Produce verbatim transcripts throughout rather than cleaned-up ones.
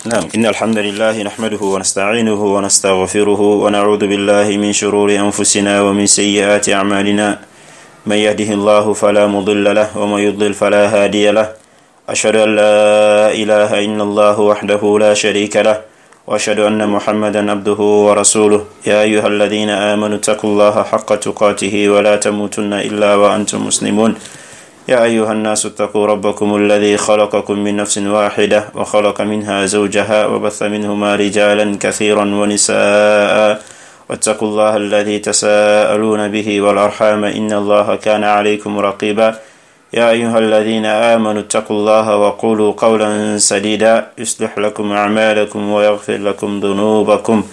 نعم إن الحمد لله نحمده ونستعينه ونستغفره ونعوذ بالله من شرور أنفسنا ومن سيئات أعمالنا من يهده الله فلا مضل له ومن يضلل فلا هادي له أشهد أن لا إله إلا الله وحده لا شريك له وأشهد أن محمدا عبده ورسوله يا أيها الذين آمنوا اتقوا الله حق تقاته ولا تموتن إلا وأنتم مسلمون يا أيها الناس اتقوا ربكم الذي خلقكم من نفس واحدة وخلق منها زوجها وبث منهما رجالا كثيرا ونساء واتقوا الله الذي تساءلون به والأرحام إن الله كان عليكم رقيبا يا أيها الذين آمنوا اتقوا الله وقولوا قولا سديدا يصلح لكم أعمالكم ويغفر لكم ذنوبكم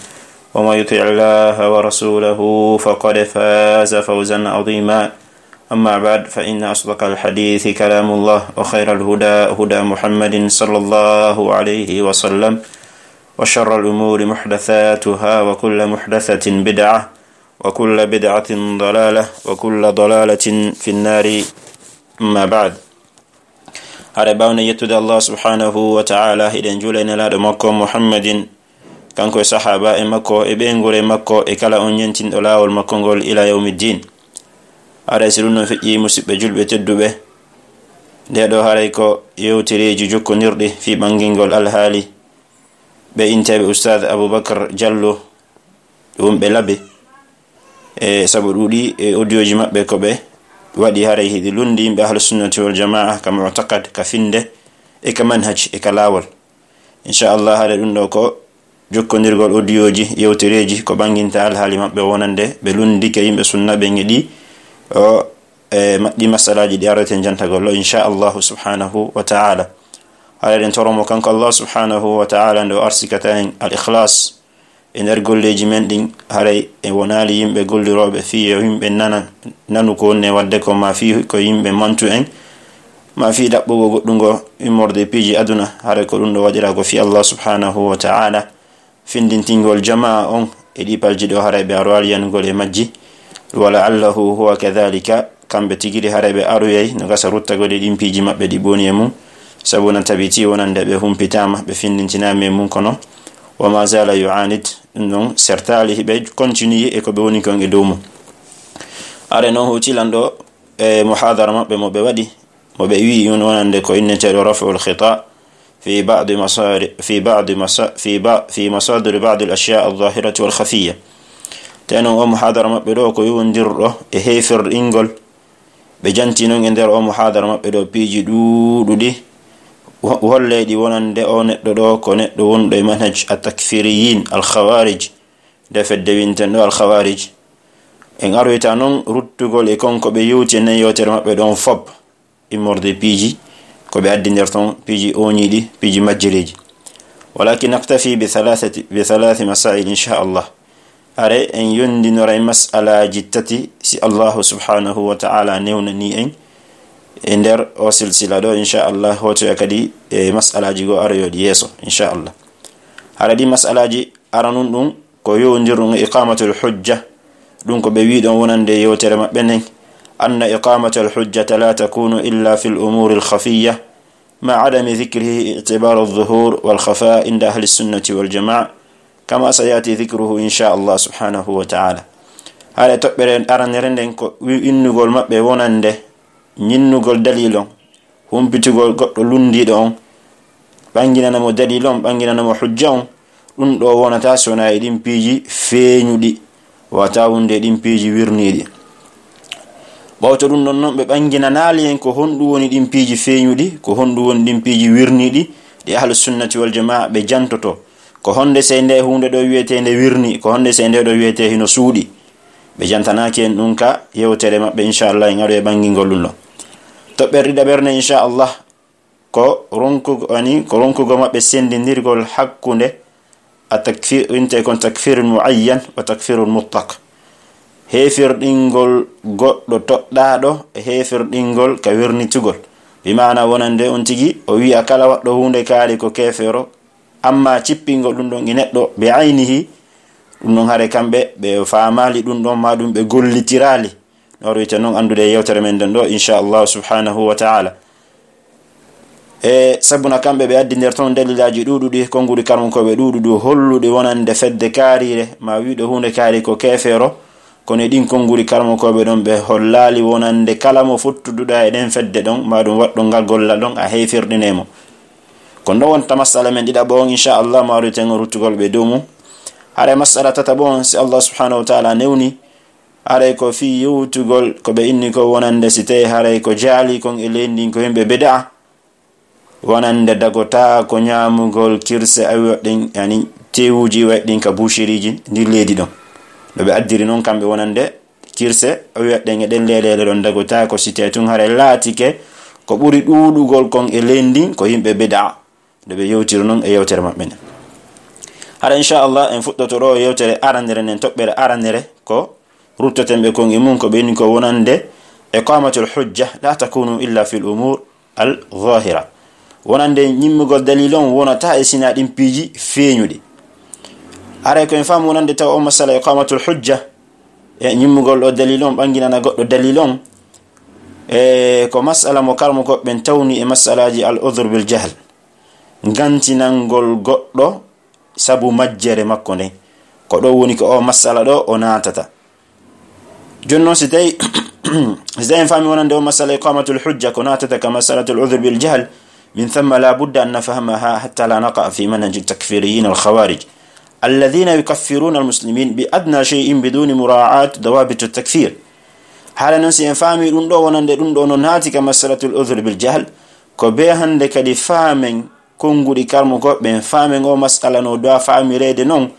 ومن يطع الله ورسوله فقد فاز فوزا عظيما أما بعد فإن أصدق الحديث كلام الله وخير الهدى هدى محمد صلى الله عليه وسلم وشر الأمور محدثاتها وكل محدثة بدعة وكل بدعة ضلالة وكل ضلالة في النار. أما بعد هذا باون يتدى الله سبحانه وتعالى إذن جولين لا دمكم محمد كانكو صحابة مكو إبنغول مكو إكلا أنينتين أولا والمكونغول إلى يوم الدين. Aray silunno feƴƴi musidɓe julɓe tedduɓe nde ɗo haray ko yewtereji jokkodirɗi fi ɓangingol alhaali ɓe inteɓe oustad Aboubakar Diallo ɗum ɓe laabe e saabu ɗuuɗi e audioji maɓɓe ko ɓe waɗi haray hiɗi lundi yimɓe ahlusunnati wal jamaa ka mu'taqad ka finde e ka manhaj e ka laawol. Inchallah haɗa ɗum ɗo ko jokkodirgol audioji yewtereji ko ɓanginta alhaali maɓɓe wonande ɓe lundi ke yimɓe sunna ɓe ngeɗi o e maɗɗi masalaji ɗi arrete jantagollo inchallahu subhanahu wa ta'ala. haɗaɗen toromo kanko Allah subhanahu wa ta'ala nde o arsikata en al ikhlas e nder golleji men ɗin haray e wonali yimɓe golliroɓe fi e yimɓe nana nanu ko wonne wadde ko ma fi ko yimɓe mantu en ma fi ɗaɓɓugo goɗɗugo immorde piiji aduna haray ko ɗum ɗo waɗira ko fi Allah subhanahu wa ta'ala findintingol jama'a on e ɗi palji ɗo haray ɓe aro aliyanugol e majji wala allahu huwa kadhalika kamɓe tigiri haray ɓe aroyay no gasa ruttagode ɗin piiji maɓɓe ɗi boni e mum sabu na tabiti wonande ɓe humpitama ɓe findintinama e mum kono wa ma zala yu'anid ɗum ɗon sertali ɓe continue e ko ɓe woni kon e dow mum. are noon hutilan ɗo e muhadara maɓɓe mo ɓe waɗi mo ɓe wi on wonande ko inneteɗo raf'ul khita fi ba'd masari fi ba'd masa fi ba fi masadir ba'd al ashya' al zahirati wal khafiyya. tenon o muhadara maɓɓe ɗo ko yowondirɗo e heefirɗingol ɓe janti noon e nder o muhadara maɓɓe ɗo piiji ɗuuɗuɗi holleɗi wonande o neɗɗo ɗo ko neɗɗo wonɗo e manhaj a takfiriyin al khawarij nde fedde winten ɗo al khawarij en aroyta noon ruttugol e konko ɓe yewti e nen yewtere maɓɓe ɗon fob immorde piiji ko ɓe addi nder ton piiji oñiɗi piiji majjireji walakin naktafi bi thalathati bi thalathi masail inchallah. are en yondinora e mas'alaji tati si Allahu subhanahu wa ta'ala newnani en e nder o silsila ɗo inchallah hotoya kadi e mas'alaji go aroyoɗi yeeso inchallah. haɗa ɗi mas'alaji aranun ɗum ko yowdirɗum e iqamatul hujja ɗum ko ɓe wiɗon wonande yewtere maɓɓe nen anna iqamatul hujjata la takunu illa fi l umuri l khafiyya ma adami dhikrihi i'tibaru adh-dhuhur wal khafa inda ahli sunnati wal jamaa kama sayati dhikruhu inchallah subhanahu wa ta'ala. haɗa toɓɓere aranere nden ko innugol maɓɓe wonande ñinnugol dalilon humpitugol goɗɗo lundiɗo on ɓanginanamo dalilon ɓanginanamo hujja on ɗum ɗo wonata sona e ɗin piiji feeñuɗi wata wonde ɗin piiji wirniɗi ɓawto ɗum ɗon noon ɓe ɓanginanali en ko honɗum woni ɗin piiji feeñuɗi ko honɗum woni ɗin piiji wirniɗi ɗi ahlu sunnati wal jamaa ɓe jantoto ko honde sey nde hunde ɗo wiyete nde wirni ko honde sey nde ɗo wiyete hino suuɗi ɓe jantanaki en ɗum ka yewtere maɓɓe inchallah en aɗo e ɓangingol ɗum ɗo toɓɓere ɗiɗa ɓerne inchallah ko ronkugo ani ko ronkugo maɓɓe sendidirgol hakkunde a takfir inte kon takfirun muayyan wa takfirun mutlaq heefirɗingol goɗɗo toɗɗaɗo e heefirɗingol ka wirnitugol bi mana wonande on tigi o wi'a kala waɗɗo hunde kaari ko kefero amma cippingol ɗum ɗon e neɗɗo ɓe aynihi ɗum ɗon haare kamɓe ɓe famali ɗum ɗon ma ɗum ɓe gollitirali no wiyete noon andude yewtere men den ɗo inchallahu subhanahu wa ta'ala. e sabuna kamɓe ɓe addi nder toon dalilaji ɗuɗuɗi konngudi karmukoɓe ɗuɗuɗu holluɗi wonande fedde kaarire ma wiɗo hunde kaari ko kefeero. kono ɗin konngudi karmukoɓe ɗon ɓe hollali wonande kala mo futtuduɗa e ɗen fedde ɗon ma ɗum waɗɗo ngal gollal ɗon a heyfirɗinemo. kono ɗon wonta masala men ɗiɗa bo on inchallah maruten ruttugol ɓe dow mum. haɗa masala tata bo on si Allah subhanahu wa ta'ala newni haɗay ko fi yewtugol ko ɓe inni ko wonande si tawi haɗay ko jaali kon e leydi ko yimɓe beda'a wonande dagota ko ñamugol kirse awiwaɗɗen yani tewuji waɗɗin ka boucheriji ndir leydi ɗon no ɓe addiri noon kamɓe wonande kirse awiwaɗɗen e ɗen lelele ɗon dagota ko si tawi tun haɗa laatike ko ɓuri ɗuɗugol kon e leydi ko yimɓe beda'a nde ɓe yewtiri noon e yewtere maɓɓe nden. haɗa inchallah en fuɗɗoto ɗo yewtere arandere nden toɓɓere arandere ko ruttoten ɓe kon e mum ko ɓeni ko wonande iqamatul hujja la takunu illa fil umur al zahira. wonande ñimmugol dalil on wonata e sina ɗin piiji feeñuɗi. aray ko en faamu wonande taw o masala iqamatul hujja e ñimmugol ɗo dalil on ɓanginana goɗɗo dalil on e ko masala mo karmo koɓɓen tawni e masalaji al udhr bil jahl gantinangol goɗɗo sabu majjere makko nden ko ɗo woni ko o masala ɗo o natata. joni noon si tawi si tawi en faami wonande o masala iqamatul hujja ko natata ka masalatul udhr bil jahl min thumma la budda an nafhamaha hatta la naqa fi manhaj al takfiriyin al khawarij alladhina yukaffiruna al muslimin bi adna shay'in biduni mura'at dawabit al takfir. hala non si en faami ɗum ɗo wonande ɗum ɗo no naati ka masalatul udhr bil jahl ko be hande kadi faamen konngudi karmo goɓɓe faamen o masala no doa faamirede noon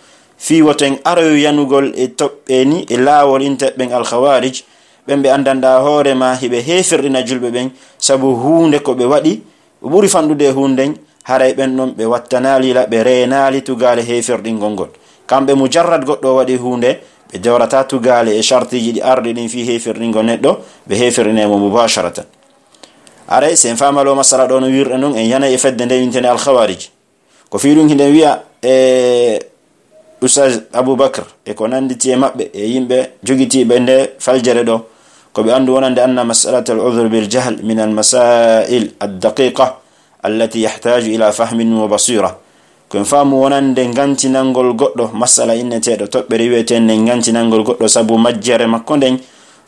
fi woten aroyo yanugol e toɓɓe ni e laawol intaɓɓen al khawarij ɓen ɓe andanɗa hoorema hiɓe hefirɗina julɓe ɓen sabu hunde ko ɓe waɗi ɓuri fanɗude e hunden haray ɓen ɗon ɓe wattanalila ɓe reenali tugale hefirɗingol ngol. kamɓe mujarrad goɗɗo waɗi hunde ɓe jawrata tugale e chartiji ɗi arɗi ɗin fi hefirɗingol neɗɗo ɓe hefirɗinemo mubasharatan. aray sen famalo masala ɗo no wirɗe noon en yana e fedde nde wintene al khawarij ko fi ɗum hiɗen wiya e Ustaz Aboubakar e ko nanditi e maɓɓe e yimɓe jogitiɓe nde faljere ɗo ko ɓe andu wonande anna mas'alata al-udhr bil jahl min al-masail ad-daqiqa allati yahtaju ila fahmin wa basira. ko en faamu wonande gantinangol goɗɗo masala inneteɗo toɓɓere wiyeten nden gantinangol goɗɗo sabu majjere makko nden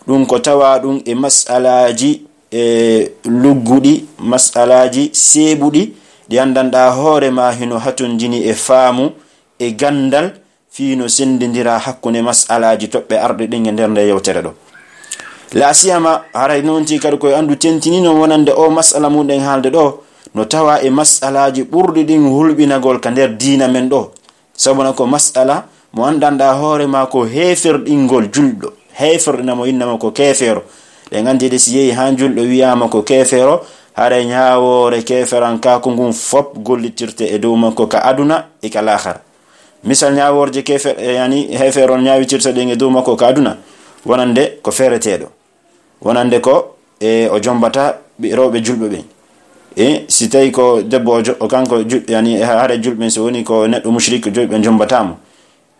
ɗum ko tawa ɗum e masalaji e lugguɗi masalaji seeɓuɗi ɗi andanɗa hoorema hino hatundini e faamu e gandal fino sendindira hakkunde masalaji toɓɓe arɗe ɗin e nder nde yewtere ɗo. la siyama haray nonti kadi koye andu tentinino wonande o masala muɗen haalde ɗo no tawa e masalaji ɓurɗi ɗin hulɓinagol ka nder diina men ɗo sabuna ko masala mo andanɗa hoorema ko hefirɗingol julɗo hefirɗinamo innama ko kefeero ɗe gandide si yehi ha julɗo wiyama ko kefeero haray ñawore keferan ka ko ngun fop gollitirte e dow makko ka aduna e ka lahara. misal ñaworje kefer yani hefeeron ñawitirta ɗen e dow makko ka aduna wonande ko fereteɗo wonande ko e o jombata rewɓe julɓe ɓen e si tawi ko debbo o kanko yani haare julɓe so woni ko neɗɗo mushrik julɓe jombatamo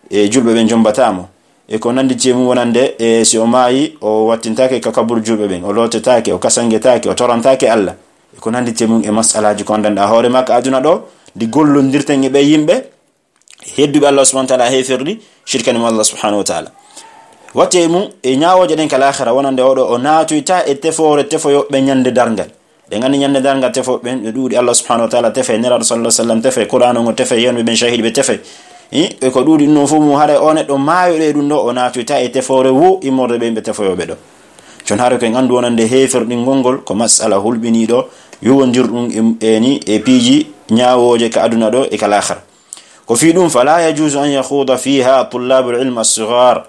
e julɓe ɓen jombatamo e ko nandi cemum wonande e si o maayi o wattintake ka kaburu julɓe ɓen o lotetake o kasangetake o torantake Allah e ko nandi cemum e masalaji ko andanɗa hoore makko aduna ɗo ndi gollondirten e ɓe yimɓe hedduɓe Allah subhanahu wa ta'ala hefirɗi shirkanimo Allah subhanahu wa ta'ala watte mum e ñawoje ɗen kala akhira wonande oɗo o naatoyta e tefore tefoyoɓe ñande dargal ɗe gandi ñande dargal tefoɓe ɓe ɗuuɗi Allah subhanahu wa ta'ala tefe neraɗo sallallahu alaihi wasallam tefe qur'an o tefe yenɓe ɓen shahid ɓe tefe e ko ɗuuɗi ɗum fu mum haɗa o neɗɗo maayoɗe ɗum ɗo o naatoyta e tefore wo immorde ɓen ɓe tefoyoɓe ɗo jon haare ko en andu wonande hefirɗingol ngol ko masala hulɓiniɗo yuwondirɗum eni e piiji ñawoje ka aduna ɗo e kala akhira ko fi ɗum fala yajuzu an yakhuda fiha tullabul ilm as-sighar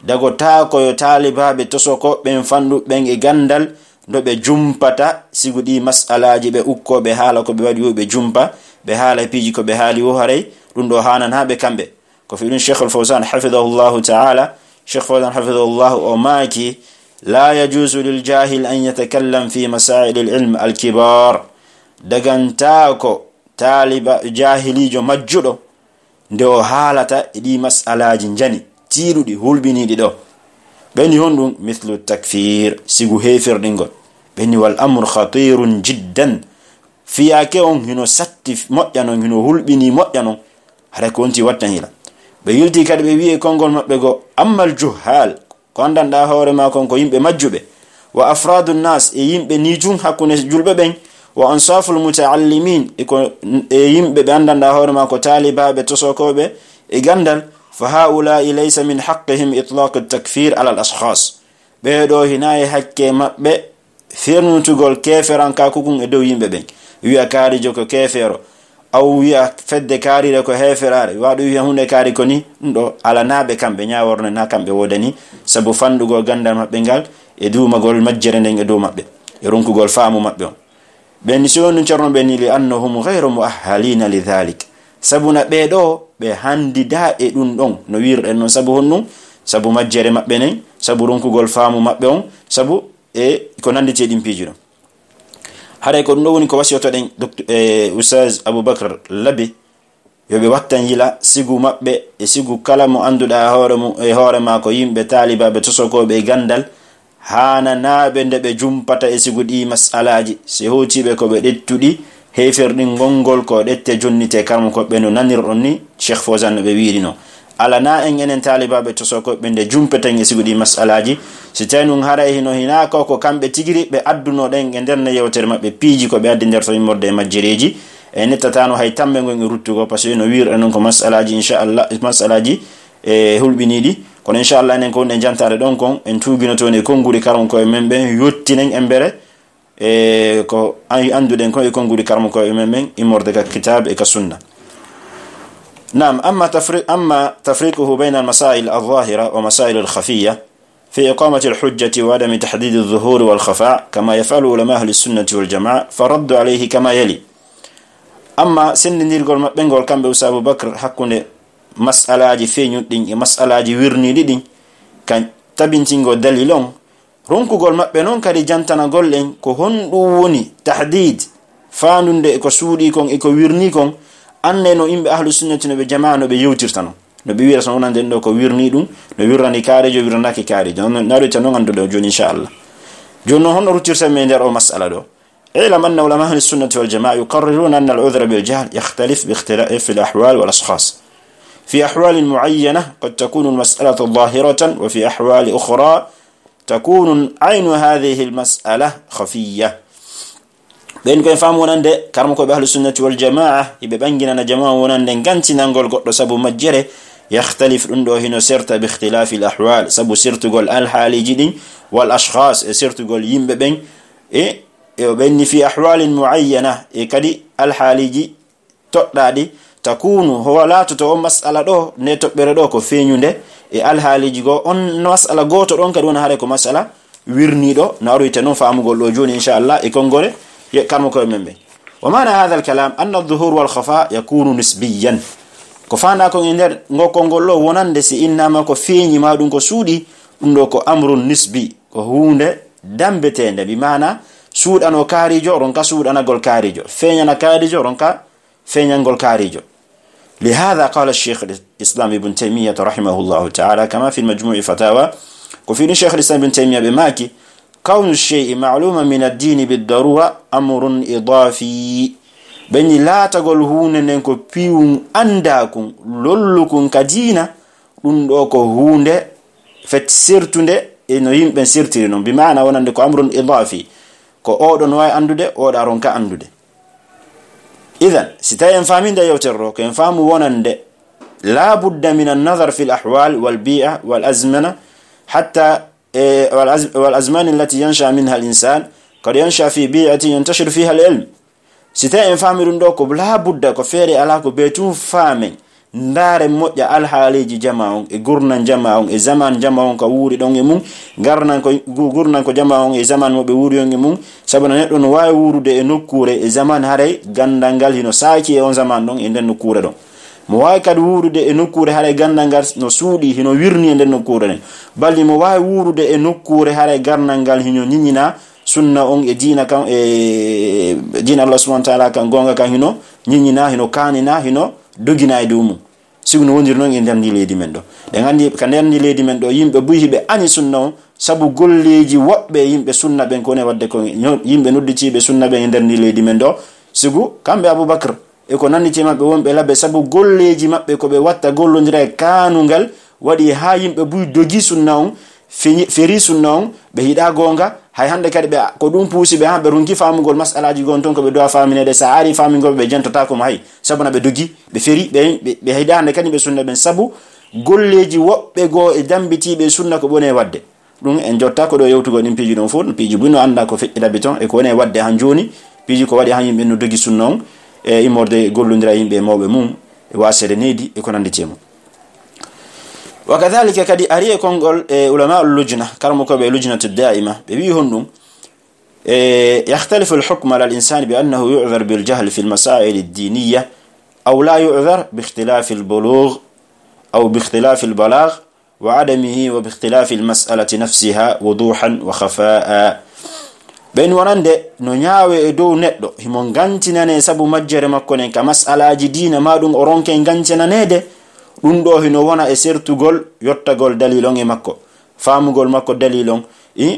dago ta koyo talibaɓe tosoko ɓen fanɗuɓen e gandal do ɓe jumpata sigu ɗi masalaji ɓe ukkoɓe haala ko ɓe waɗi yo ɓe jumpa ɓe haala piiji ko ɓe haali wo haray ɗum ɗo hanan ha ɓe kamɓe ko fi ɗum Cheikh al-Fawzan hafidahullahu ta'ala Cheikh Fawzan hafidahullahu o maaki la yajuzu lil jahil an yatakallam fi masail al-ilm al-kibar daganta ko taliba jahilijo majjuɗo nde o haalata e ɗi masalaji jani tiiɗuɗi hulɓiniɗi ɗo ɓeni hon ɗum mithlu takfir sigu hefirɗingol ɓeni wal amru khatirun jiddan fiyake on hino satti moƴƴa non hino hulɓini moƴƴa non hara ko wonti watta hila. ɓe yilti kadi ɓe wi'e konngol maɓɓe go ammal juhal ko andanɗa hoore ma kon ko yimɓe majjuɓe, wa afradu nnas e yimɓe ni tun hakkunde julɓe ɓen, wa ansaful mutaallimin e ko e yimɓe ɓe andanɗa hoore ma ko talibaɓe tosokoɓe e gandal, fa haulai laysa min haqqihim itlaq at-takfir ala al-ashkhas. ɓeɗo hina e hakke maɓɓe fernutugol keferanka kukun e dow yimɓe ɓen, wi'a kaarijo ko kefero, aw wi'a fedde kaarire ko heferare, waɗo wi'a hunde kaari ko ni, ɗum ɗo alanaɓe kamɓe ñaworne na kamɓe wodani, sabu fandugol gandal maɓɓe ngal e duumagol majjere nden e dow maɓɓe e ronkugol faamu maɓɓe on. ɓen si woni corno ɓe ni li annahum ghayru muahhalina li dhalik, sabu na ɓeɗo ɓe handida e ɗum ɗon no wirɗen noon, sabu honɗum sabu majjere maɓɓe nen, sabu ronkugol faamu maɓɓe on, sabu e ko nandite ɗin piiji ɗon. haray ko ɗum ɗo woni ko wasiyotoɗen e Ustaz Aboubakar Labi yoɓe wattan yila sigu maɓɓe e sigu kala mo anduɗa hoore mum e hoore ma ko yimɓe talibaɓe tosokoɓe e gandal, hana naɓe nde ɓe jumpata e sigu ɗi masalaji se hotiɓe ko ɓe ɗettuɗi heferɗin gongol ko ɗette jonnite karmo koɓɓe no nanirɗon ni Cheikh Fawzan no ɓe wiiri no. ala na en enen talibaɓe tosokoɓe nde jumpeten e sigu ɗi masalaji, si tawi nun haray hino hina ko ko kamɓe tigiri ɓe adduno ɗen e nder ne yewtere maɓɓe piiji ko ɓe addi nder to immorde e majjireji e nettatano hay tambe gon e ruttugo, par ce que no wirɗe noon ko masalaji inchallah masalaji e hulɓiniɗi. kono inchallah enen ko wonɗe jantare ɗon kon en tuguinotoon e konnguri karmo koye men ɓen yottinen embere e ko anduɗen ko e konnguri karmo koye men ɓen immorde ka kitab e ka sunna. نعم أما تفريق أما تفريقه بين المسائل الظاهرة ومسائل الخفية في إقامة الحجة وعدم تحديد الظهور والخفاء كما يفعل علماء أهل السنة والجماعة فرد عليه كما يلي. أما سن نيرغول بنغول كامبي أبو بكر حكون مسألة فينيو دين مسألة ويرني دين كان تبنتينغو دليلون رونكو غول مابbe non kadi jantana gollen ko hondu woni tahdid faanunde ko suudi kon e ko wirni kon anne no imbe ahlu sunnati no be jamaa no be yewtirtano no be wiira son onande do ko wirni dum no wirrani kaarejo wirnaki kaarejo non naado tan non andudo joni inshallah jonno hono rutirta me nder o mas'ala do ilam anna ulama ahli sunnati wal jamaa yuqarriruna anna al-udhra bil jahl yakhtalif bi ikhtilaf al ahwal wal ashkhas في أحوال معينة قد تكون المسألة ظاهرة وفي أحوال أخرى تكون عين هذه المسألة خفية. بين كن فهم ونند كرمكو بأهل السنة والجماعة يبقى جماعة ونند نغانتي نانغول قد سبو مجره يختلف عنده هنا سرت باختلاف الأحوال سبو سرت قول الحالي جدين والأشخاص سرت قول يمبين إيه بين في أحوال معينة إيه كدي الحالي جي تقدادي تكون هو لا تتو مسألة دو نتو بردو كو فينيونde e alhaaliji go on masala goto don kadi wona hare ko masala wirnido naru ite non faamugol do joni inshallah e kongore ye karmo ko membe wa mana hadha al-kalam anna adh-dhuhur wal khafa yakunu nisbiyan ko fanda ko nder ngokongol lo wonande si innama ko feñi ma dum ko suudi dum do ko amrun nisbi ko hunde dambetende bi mana suudano kaarijo ron ka suudana gol kaarijo feñana kaarijo ron ka feñangol kaarijo. لهذا قال الشيخ الإسلام ابن تيمية رحمه الله تعالى كما في المجموع فتاوى وفي الشيخ الإسلام ابن تيمية بماكي كون الشيء معلوما من الدين بالضرورة أمر إضافي بين لا تقول هون ننكو بيون أنداكم لولكم كدينة لندوكو هون فتسيرتون إنو يمبن سيرتين بمعنى ونندكو أمر إضافي كو أودو نواي أندو دي أودو أرونكا أندو دي. إذن ستاين فامين دا يوترو كين فامو ونند لا بد من النظر في الأحوال والبيئة والأزمنة حتى إيه والأزمان التي ينشأ منها الإنسان قد ينشأ في بيئة ينتشر فيها العلم. ستاين فامين دوكو لا بد كفيري علاكو بيتون فامين ndare moƴƴa alhaaliji jama on e gurnan jama on e zaman jama on ka wuuri ɗon e mum garnan ko gurnan ko jama on e zaman mo ɓe wuuri on e mum sabu no neɗɗo no wawi wuurude e nokkure e zaman haray gandal ngal hino saaki e on zaman ɗon e nden nokkure ɗon mo wawi kadi wuurude e nokkure haray gandal ngal no suuɗi hino wirni e nden nokkure nden balli mo wawi wuurude e nokkure haray garnal ngal hino ñiññina sunna on e diina kan e diina Allah subhanahu wa ta'ala kan gonga kan hino ñiññina hino kanina hino dogina e dow sigu no wondir non e nder ndi leydi men do de gandi ka nder ndi leydi men do yimbe buyi be ani sunna on sabu golleji wobbe yimbe sunna ben ko ne wadde ko yimbe nodditibe sunna ben e nder ndi leydi men do sigu kambe Abubakar e ko nanditi mabbe wonbe labbe sabu golleji mabbe ko be watta gollondira e kanungal wadi ha yimbe buy dogi sunna on feri sunna on be hida gonga hay hande kadi be ko dum puusi be hambe rungi famugol masalaji gon ton ko be do faminede sa ari famingol be jantata ko hay sabuna be dogi be feri be be hida hande kadi be sunna ben sabu golleji wobbe go e dambiti be sunna ko bone wadde dum en jotta ko do yewtugo dim piji don fu piji bunno anda ko feddida beton e ko woni wadde han joni piji ko wadi han yimbe no dogi sunna on e imorde gollundira yimbe mawbe mum e wasere nedi e ko nanditi mo وكذلك كدي أريه كونغول علماء اللجنة كرمو كبه لجنة الدائمة بيهندم يختلف الحكم على الإنسان بأنه يعذر بالجهل في المسائل الدينية أو لا يعذر باختلاف البلوغ أو باختلاف البلاغ وعدمه وباختلاف المسألة نفسها وضوحا وخفاء بين ورند نياوي دو ندو همون غانتنا ne sabu majjere makko nen ka mas'alaji diina ma dum o ronke gancena nede dum do hino wona e sertugol yottagol dalilon e makko famugol makko dalilon e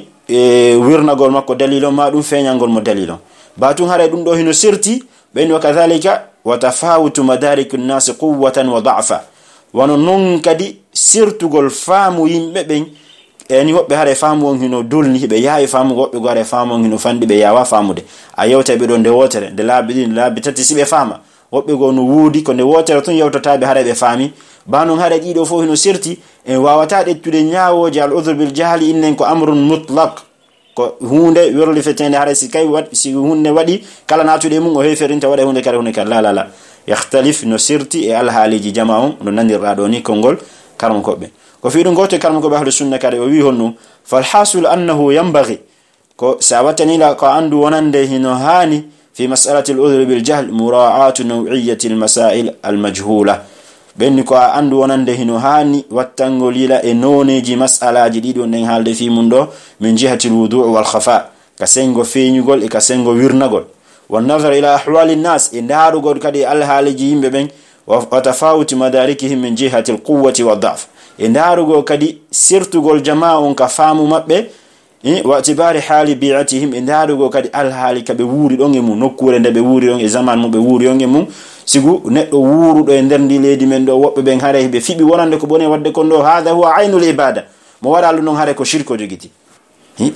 wirnagol makko dalilon ma dum feñangol mo dalilon batun hare dum do hino serti ben wa kadhalika wa tafawutu madarikun nas quwwatan wa da'fa wono non kadi sertugol famu yimbe ben eni hobbe hare famu on hino dolni be yaay famu hobbe gore famu on hino fandi be yawa famude a yewta be do nde wotere de laabi din laabi tati sibe fama hobbe go no wudi ko nde wotere ton yewtata be hare be fami banon hare dido fo hino serti en wawata dettude nyaawoje al udhr bil jahli innen ko amrun mutlaq ko hunde wirli fetende hare si kay wat si hunde wadi kala natude mun o heferinta wada hunde kala hunde kala la la yakhtalif no serti e al haliji jama'un no nandirra do ni kongol karam ko be ko fi dum goto karam ko be ahlu sunna kare o wi honno fal hasul annahu yanbaghi ko sawatani la ko andu wonande hino hani في مسألة العذر بالجهل مراعاة نوعية المسائل المجهولة بينكو عنده وننده هاني والتنغوليلا انونيجي مسألة جديد ونن حالده في مندو من جهة الوضوع والخفاء كسنغو فينيغول كسنغو ويرنغول والنظر إلى أحوال الناس إن دارو قد كدي الحالجي يمبين وتفاوت مداركهم من جهة القوة والضعف إن دارو كدي سيرتو قول جماعة كفامو مبه واعتبار حال بيعتهم ان دارو kadi al hali kabe wuri don e mun nokkure nde be wuri don e zaman mo be wuri on e mun sigu neddo wurudo e nder ndi leedi men do wobbe ben hare be fibi wonande ko bone wadde kon do hada huwa ainul ibada mo wadalu non hare ko shirko jogiti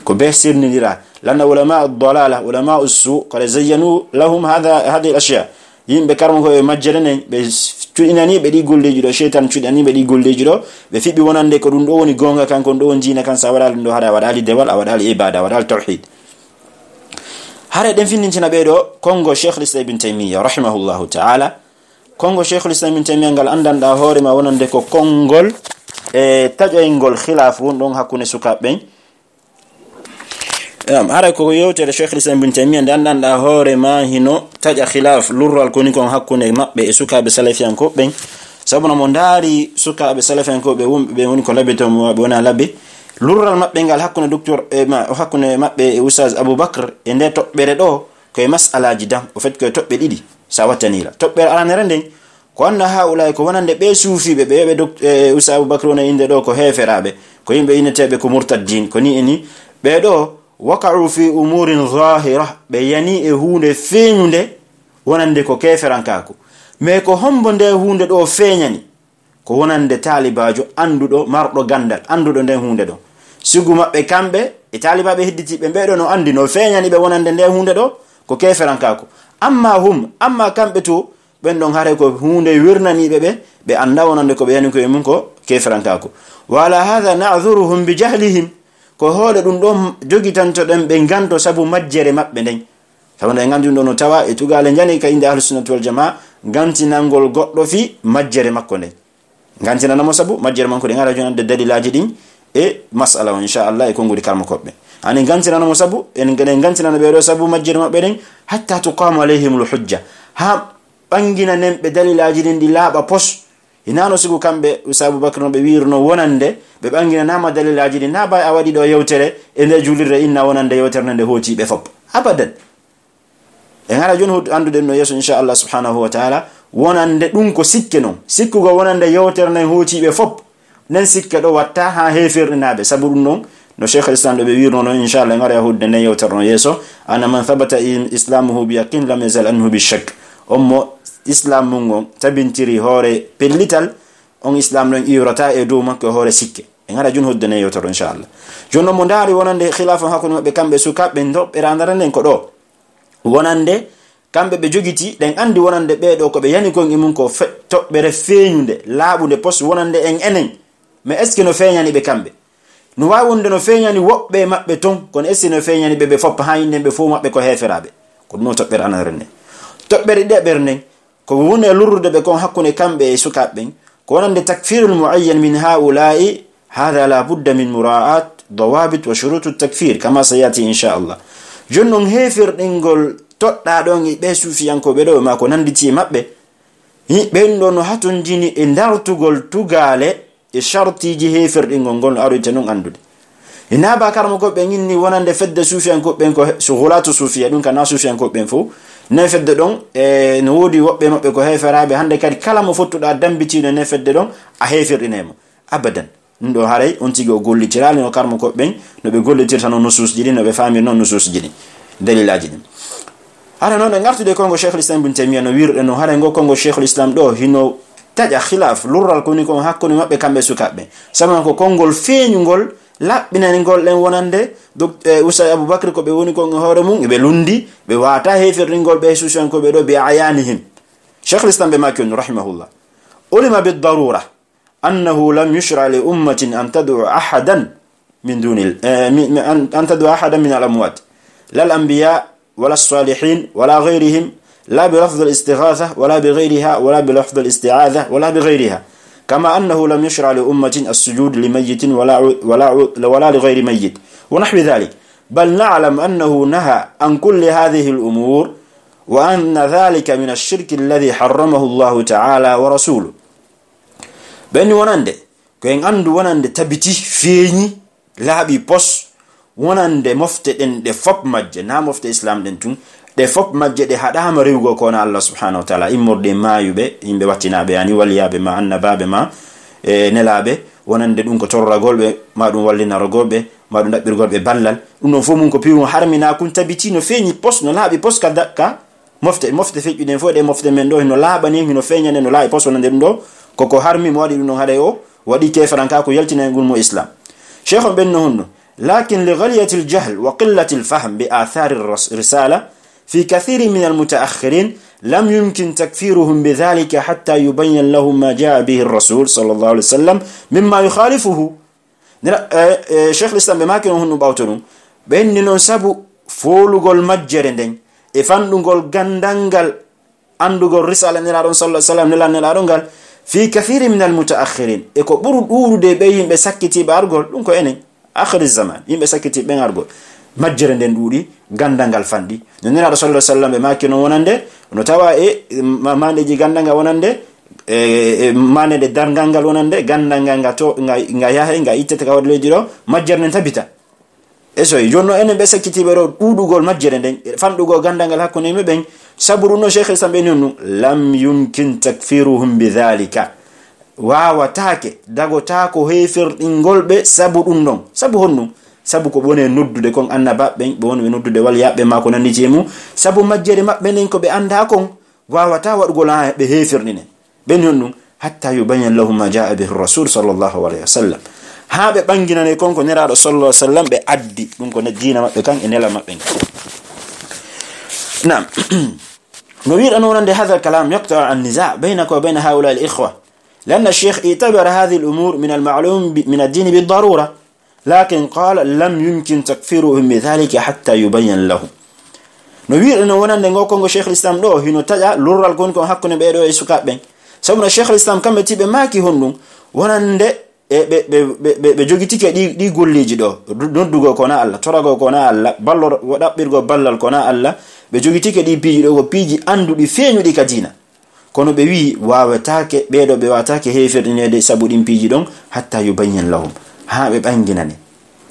ko be sirnidira lana ulama ad-dalala ulama as-su qad zayyanu lahum hadha hadhihi al-ashya yimbe karmo ko majjere be tudinani be di golleji do shaytan tudinani be di golleji do be fibi wonande ko dum do woni gonga kanko do wonjina kan sa wadal do hada wadali dewal wadali ibada wadal tauhid hare den finnintina be do kongo Sheikh al-Islam ibn Taymiyyah rahimahullahu ta'ala kongo Sheikh al-Islam ibn Taymiyyah ngal andanda hore ma wonande ko kongol e tajoyngol khilaf won don hakune sukaben am hare ko yewtere Sheikh al-Islam ibn Taymiyyah andanda hore ma hino taja khilaf lurral koni kon hakune mabbe e sukabe salafiyan ko ben sabuna mo ndari sukabe salafiyan ko be wumbe be woni ko labeto mo be wona labbe lurral mabbe ngal hakune docteur e ma hakune mabbe e ustaz Abubakar e nde tobbere do ko e mas'alaji dam o fet ko tobbe didi sa watanila tobbere alanere den ko anda haula ko wonande be sufi be be be ustaz Abubakar wona inde do ko heferabe ko yimbe inetebe ko murtaddin ko ni eni be do waqa'u fi umurin zahira bayani e hunde feñunde wonande ko keferankaako me ko hombo nde hunde do feñani ko wonande talibajo andudo mardo gandal andudo nde hunde do sugu mabbe kambe e talibabe hidditi be beedo no andi no feñani be wonande nde hunde do ko keferankaako amma hum amma kambe to ben don hare ko hunde wirnani be be be anda wonande ko be yani ko e mun ko keferankaako wala hadha na'dhuruhum bi jahlihim ko hoole dum don jogitanto den be ganto sabu majjere mabbe den tawande gandu do no tawa e tugale jani ka inde ahlus sunnah wal jamaa gantinangol goddo fi majjere makko den gantinana mo sabu majjere manko den ara jonande dalilaji din e mas'ala inshallah e ko ngudi karmo kobbe ani gantinana mo sabu en gaden gantinana be do sabu majjere mabbe den hatta tuqama alayhimul hujja ha bangina nembe dalilaji din di laba pos inano sigu kambe Ustaz Abubakar no be wirno wonande be bangina nama dalilaji din na bay awadi do yewtere e nde julirre inna wonande yewtere nde hoti be fop abadan e ngara jon andude no yeso inshallah subhanahu wa ta'ala wonande dum ko sikke non sikkugo wonande yewtere nde hoti be fop nen sikke do watta ha hefirnaabe sabu dum non no Sheikh al-Islam do be wirno no inshallah ngara yahudde ne yewtarno yeso ana man thabata islamuhu bi yaqin lam yazal anhu bi shakk ummo islam mungo tabintiri hore pellital on islam non iyorata e dow makko hore sikke e ngara jun hodde ne yewtarno inshallah jonno mo ndari wonande khilafa hakkunde mabbe kambe sukabe ndobbe randaranden ko do wonande kambe be jogiti den andi wonande be do ko be yani kon imun ko tobbere feeñunde laabunde pos wonande en enen mais est ce que no feeñani be kambe no wawunde no feeñani wobbe mabbe ton kon est ce no feeñani be be foppa hayinde be fu mabbe ko heferabe ko no tobbere anarne tobbere de bernen ko woni lurrude be kon hakkune kambe e sukabe ko wonande takfirul muayyan min haula'i hada la budda min mura'at dawabit wa shurut at-takfir kama sayati insha Allah jonnon hefir dingol todda don be sufiyanko be do ma ko nanditi mabbe be don no hatun jini e dartugol tugale e shartiji hefir dingol gol arute non andude ina ba karmo ko be nyinni wonande fedde sufiyanko ben ko shughulatu sufiya dun kana sufiyanko ben fu ne fedde don e no wodi wobbe mabbe ko heferabe hande kadi kala mo fottuda dambitino ne fedde don a hefirinemo abadan ndo haray on tigo gollitirali no karmo ko ben no be gollitirta non nusus jidi no be famir non nusus jidi dalilaji din ara non ngartude kongo Sheikh al-Islam ibn Taymiyyah no wirde no hara ngo kongo Sheikh al-Islam do hino taja khilaf lurral ko ni ko hakkoni mabbe kambe sukabe sama ko kongol feeñugol labbinani gol den wonande do Usay Abubakar ko be woni ko hoore mum be lundi be wata hefirringol be susan ko be do be ayanihim Sheikh al-Islam be makon rahimahullah ulima bid darura annahu lam yushra li ummatin an tad'u ahadan min duni an tad'u ahadan min al-amwat la al-anbiya ولا الصالحين ولا غيرهم لا بلفظ الاستغاثة ولا بغيرها ولا بلفظ الاستعاذة ولا بغيرها كما أنه لم يشرع لأمة السجود لميت ولا ولا ولا لغير ميت ونحو ذلك بل نعلم أنه نهى عن كل هذه الأمور وأن ذلك من الشرك الذي حرمه الله تعالى ورسوله بأن ونند كأن عند ونند تبتي فيني لا بيبص wonande mofte den de fop majje na mofte islam den tun de fop majje de hada ma rewgo ko na Allah subhanahu wa ta'ala immorde mayube yimbe wattinabe yani waliyabe ma annababe ma e nelabe wonande dum ko torragolbe ma dum wallina rogolbe ma dum dabbirgolbe ballal dum non fo mun ko piwu harmina kun tabiti no feñi pos no laabi pos ka dakka mofte mofte feƴƴu den fo de mofte men do no laabani no feñane no laabi pos wonande dum do koko harmi mo wadi dum no hade o wadi kefaranka ko yaltina ngul mo islam sheikh ben no hunno لكن لغلية الجهل وقلة الفهم بآثار الرسالة في كثير من المتأخرين لم يمكن تكفيرهم بذلك حتى يبين لهم ما جاء به الرسول صلى الله عليه وسلم مما يخالفه شيخ الإسلام بماكن هنو باوتنو بأن ننسبو فولغول مجرندين إفاندغول غندنغال أندغول رسالة نلارون صلى الله عليه وسلم نلان نلارونغال في كثير من المتأخرين إكو برو دورو دي بيهم بسكتي بارغول لنكو إنين آخر الزمان يمبي سكتي بين أرجو مجرندين دوري غندانغال فاندي نينا رسول الله صلى الله عليه وسلم ما كانوا ونande no tawa e mande ji gandanga wonande e mande de dargangal wonande gandanga to nga yahe nga ittete ka wadle jiro majjerne tabita eso jonno enen be sakiti be ro dudugol majjerne fandugo gandangal hakkunde me ben saburu no Sheikh Islam ben nonu lam yumkin takfiruhum bidhalika wawa take dago tako hefir dingolbe sabu dum non sabu honnu sabu ko bone noddude kon annaba ben be woni noddude wal yabbe mako nandi cemu sabu majjere mabbe nen ko be anda kon wawata wadugol ha be hefirnine ben honnu hatta yubayyan lahum ma jaa bihi rasul sallallahu alaihi wasallam ha be banginane kon ko neraado sallallahu alaihi wasallam be addi dum ko ne diina mabbe kan e nela mabbe nam no wir anonande hadha kalam yaqta an nizaa bainaka wa bain haula al ikhwa لأن الشيخ اعتبر هذه الأمور من المعلوم من الدين بالضرورة لكن قال لم يمكن تكفيرهم بذلك حتى يبين لهم نوير إنه ونان دعوة كونغ شيخ الإسلام ده هنا تجا لورال كون كون حقنا بيرو يسوع بين سبنا الشيخ الإسلام كم بتيب ما كي هندو ونان ده ب ب ب بجوجتي كدي دي قول لي جدو ندوغو كونا الله تراغو كونا الله بالور ودا بيرغو بالال كونا الله بجوجتي كدي بيجي دو بيجي أندو دي فينو دي كدينا kono be wi wawataake beedo be wataake heferdinede sabudin piji don hatta yubayyin lahum ha be banginane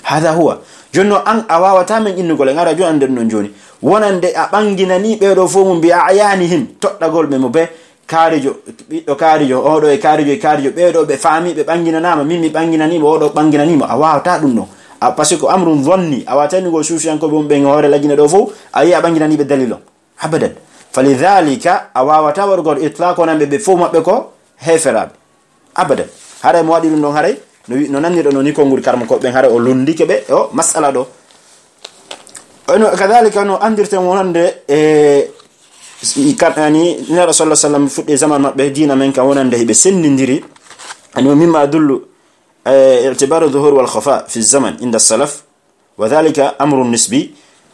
hada huwa jonno an awawata men innugol ngara jo ande non joni wonande a banginani beedo fo mum bi ayanihim toddagol be mo be kaarijo biddo kaarijo odo e kaarijo e kaarijo beedo be faami be banginanama mimmi banginani mo odo banginani mo awawata dum no a parce que amrun dhanni awatani go sufiyan ko bombe ngore lajina do fo ayi abanginani be dalilo abadan falidhalika awawata wargo itlaq onan be fo mabbe ko heferabe abadan hare mo wadi dum don hare no nanni do no ni ko nguri karmo ko ben hare o lundike be o masala do ono kadhalika no andirte wonande e ikatani ni rasulullah sallallahu alaihi wasallam fudde zaman mabbe dina men ka wonande be sendindiri ani mimma adullu اعتبار الظهور والخفاء في الزمن عند السلف وذلك امر نسبي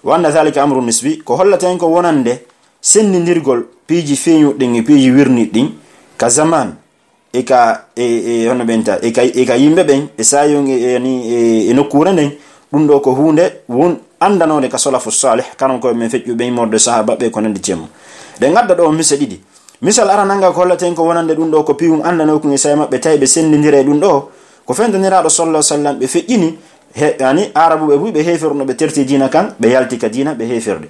وان ذلك امر نسبي ko hollata ko wonande sendindirgol piiji feñu din e piiji wirni din ka zaman e ka e hono benta e ka e ka yimbe ben e sayon yani e nokkure nden dum do ko hunde won andanode ka salafu salih kanon ko men fejju be morde sahaba be ko nande cemo de gadda do mise didi misal arananga ko hollata ko wonande dum do ko piwum andano ko e say mabbe taybe sendindire dum do ko fendaniraado sallallahu alaihi wasallam be fejjini yani arabu be bu be heferno be terti dina kan be yalti ka dina be heferde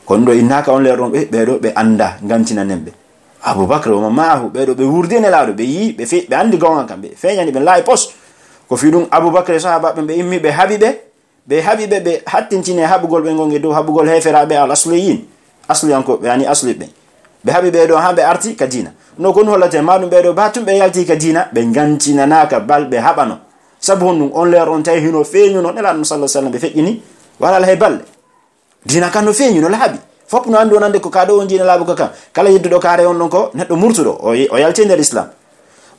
kondo innaka on leeron be be do be anda ngantina nembe abubakar o maahu be do be wurdene laado be yi be fe be andi gonga kambe feñani be lay post ko fidum abubakar sahaba be immi be habibe be habibe be hattintine habugol be gonge do habugol heferabe al asliyin asli anko yani asli be be habibe do hambe arti ka dina no kon hollate madum be do batum be yalti ka dina be gantina naka balbe habano sabu hon on leer on tay hino feñu no nela sallallahu alaihi wasallam be fejjini wala la hebal dina kan no feñu no labi fop no ando nande ko kado on dina labu kaka kala yiddo do kare on non ko neddo murtudo o o yalti nder islam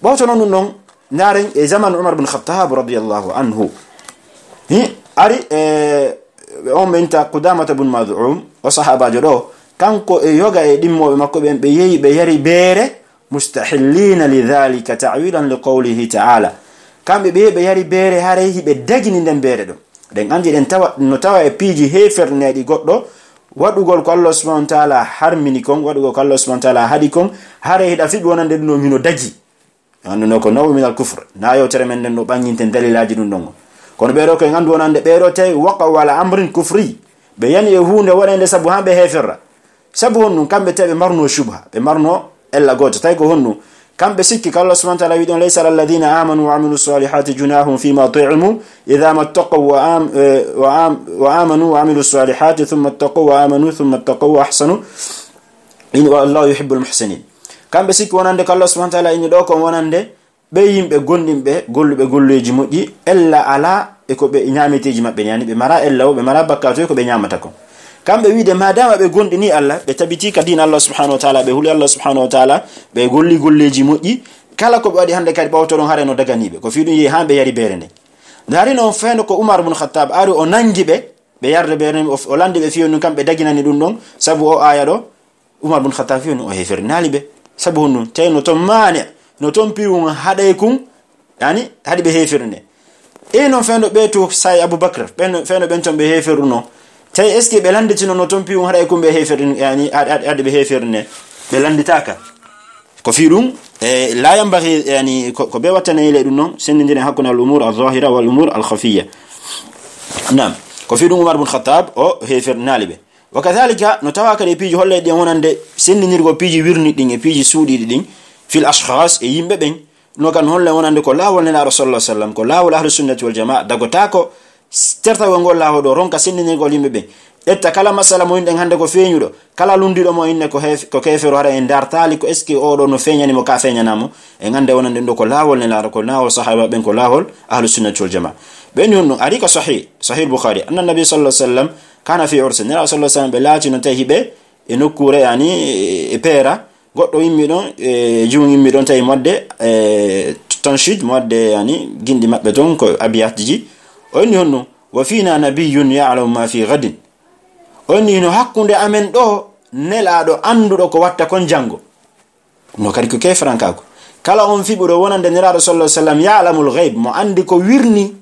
bawto non non naren e zaman umar ibn khattab radiyallahu anhu hi ari e on menta qudamah ibn mad'um o sahaba jodo kanko e yoga e dimmobe makko ben be yeyi be yari beere mustahillina lidhalika ta'wilan liqawlihi ta'ala kambe be be yari beere hare hibe dagini den beere do den andi den tawa no tawa e piiji hefernedi goddo wadugol ko Allah subhanahu wa ta'ala harmini kon wadugol ko Allah subhanahu wa ta'ala hadi kon hare hida fibi wonande no mino daji anno ko nawu min al kufr na yo tere men den no banginten dalilaji dum don kono be ro ko ngandu wonande be ro tay waqa wala amrin kufri be yani e hunde wonande sabu hambe heferra sabu honnu kambe tebe marno shubha be marno ella goto tay ko honnu kambe sikki Allah subhanahu wa ta'ala widon laysa lil ladina amanu wa amilus salihati junahum fima tu'imu idha mattaqaw wa am wa am wa amanu wa amilus salihati thumma ittaqaw wa amanu thumma ittaqaw wa ahsanu inna Allahu yuhibbul muhsinin kambe sikki wonande Allah subhanahu wa ta'ala inni do ko wonande be yimbe gondimbe gollube golleji moddi ella ala e ko be nyamiteji mabbe yani be mara ella be mara bakkato ko be nyamata ko kambe wiide madama be gondini Allah be tabiti ka din Allah subhanahu wa ta'ala be huli Allah subhanahu wa ta'ala be golli golleji moddi kala ko be wadi hande kadi bawto don hare no daganibe ko fiidu yi hambe yari berende dari non feno ko Umar ibn Khattab ari o nangibe be yarde berende o landi be fiinu kambe daginani dum don sabu o aya do Umar ibn Khattab fiinu o hefernali be sabu honu tayno to mane no ton piwun haday kun yani hadi be heferne e non feno be to say Abubakar ben feno ben ton be heferuno tay est ce que be landitino no ton piwun haday kun be heferin yani hadi be heferne be landitaka ko fi dum e la yambaghi yani ko be watane ile dum non sendindire hakuna al umur al zahira wal umur al khafiyya nam ko fi dum Umar ibn Khattab o hefernali be wakadhalika no tawaka de piiji holle de wonande sendinirgo piiji wirni din e piiji suudi din fil ashkhas e yimbe ben no kan holle wonande ko lawol ne rasulullah sallam ko lawol ahlus sunnati wal jamaa dagota ko terta wongol lawo do ronka sendinirgo yimbe ben etta kala masala mo inde hande ko feñudo kala lundido mo inne ko hef ko kefero hara en dartali ko eski o do no feñani mo ka feñanamo e ngande wonande do ko lawol ne la ko lawol sahaba ben ko lawol ahlus sunnati wal jamaa ben yonno ari ko sahih sahih bukhari anna nabi sallallahu alaihi wasallam kana fi ursin nira sallallahu alaihi wasallam belati no tahibe e nokure yani e pera goddo yimmi don e juun yimmi don tay modde e tanshid modde yani gindi mabbe don ko abiyatji onni honno wa fina nabiyyun ya'lamu ma fi ghadin onni no hakkunde amen do nelaado andudo ko watta kon jango no kadi ko kefranka ko kala on fibudo wonande nira sallallahu alaihi wasallam ya'lamul ghaib mo andi ko wirni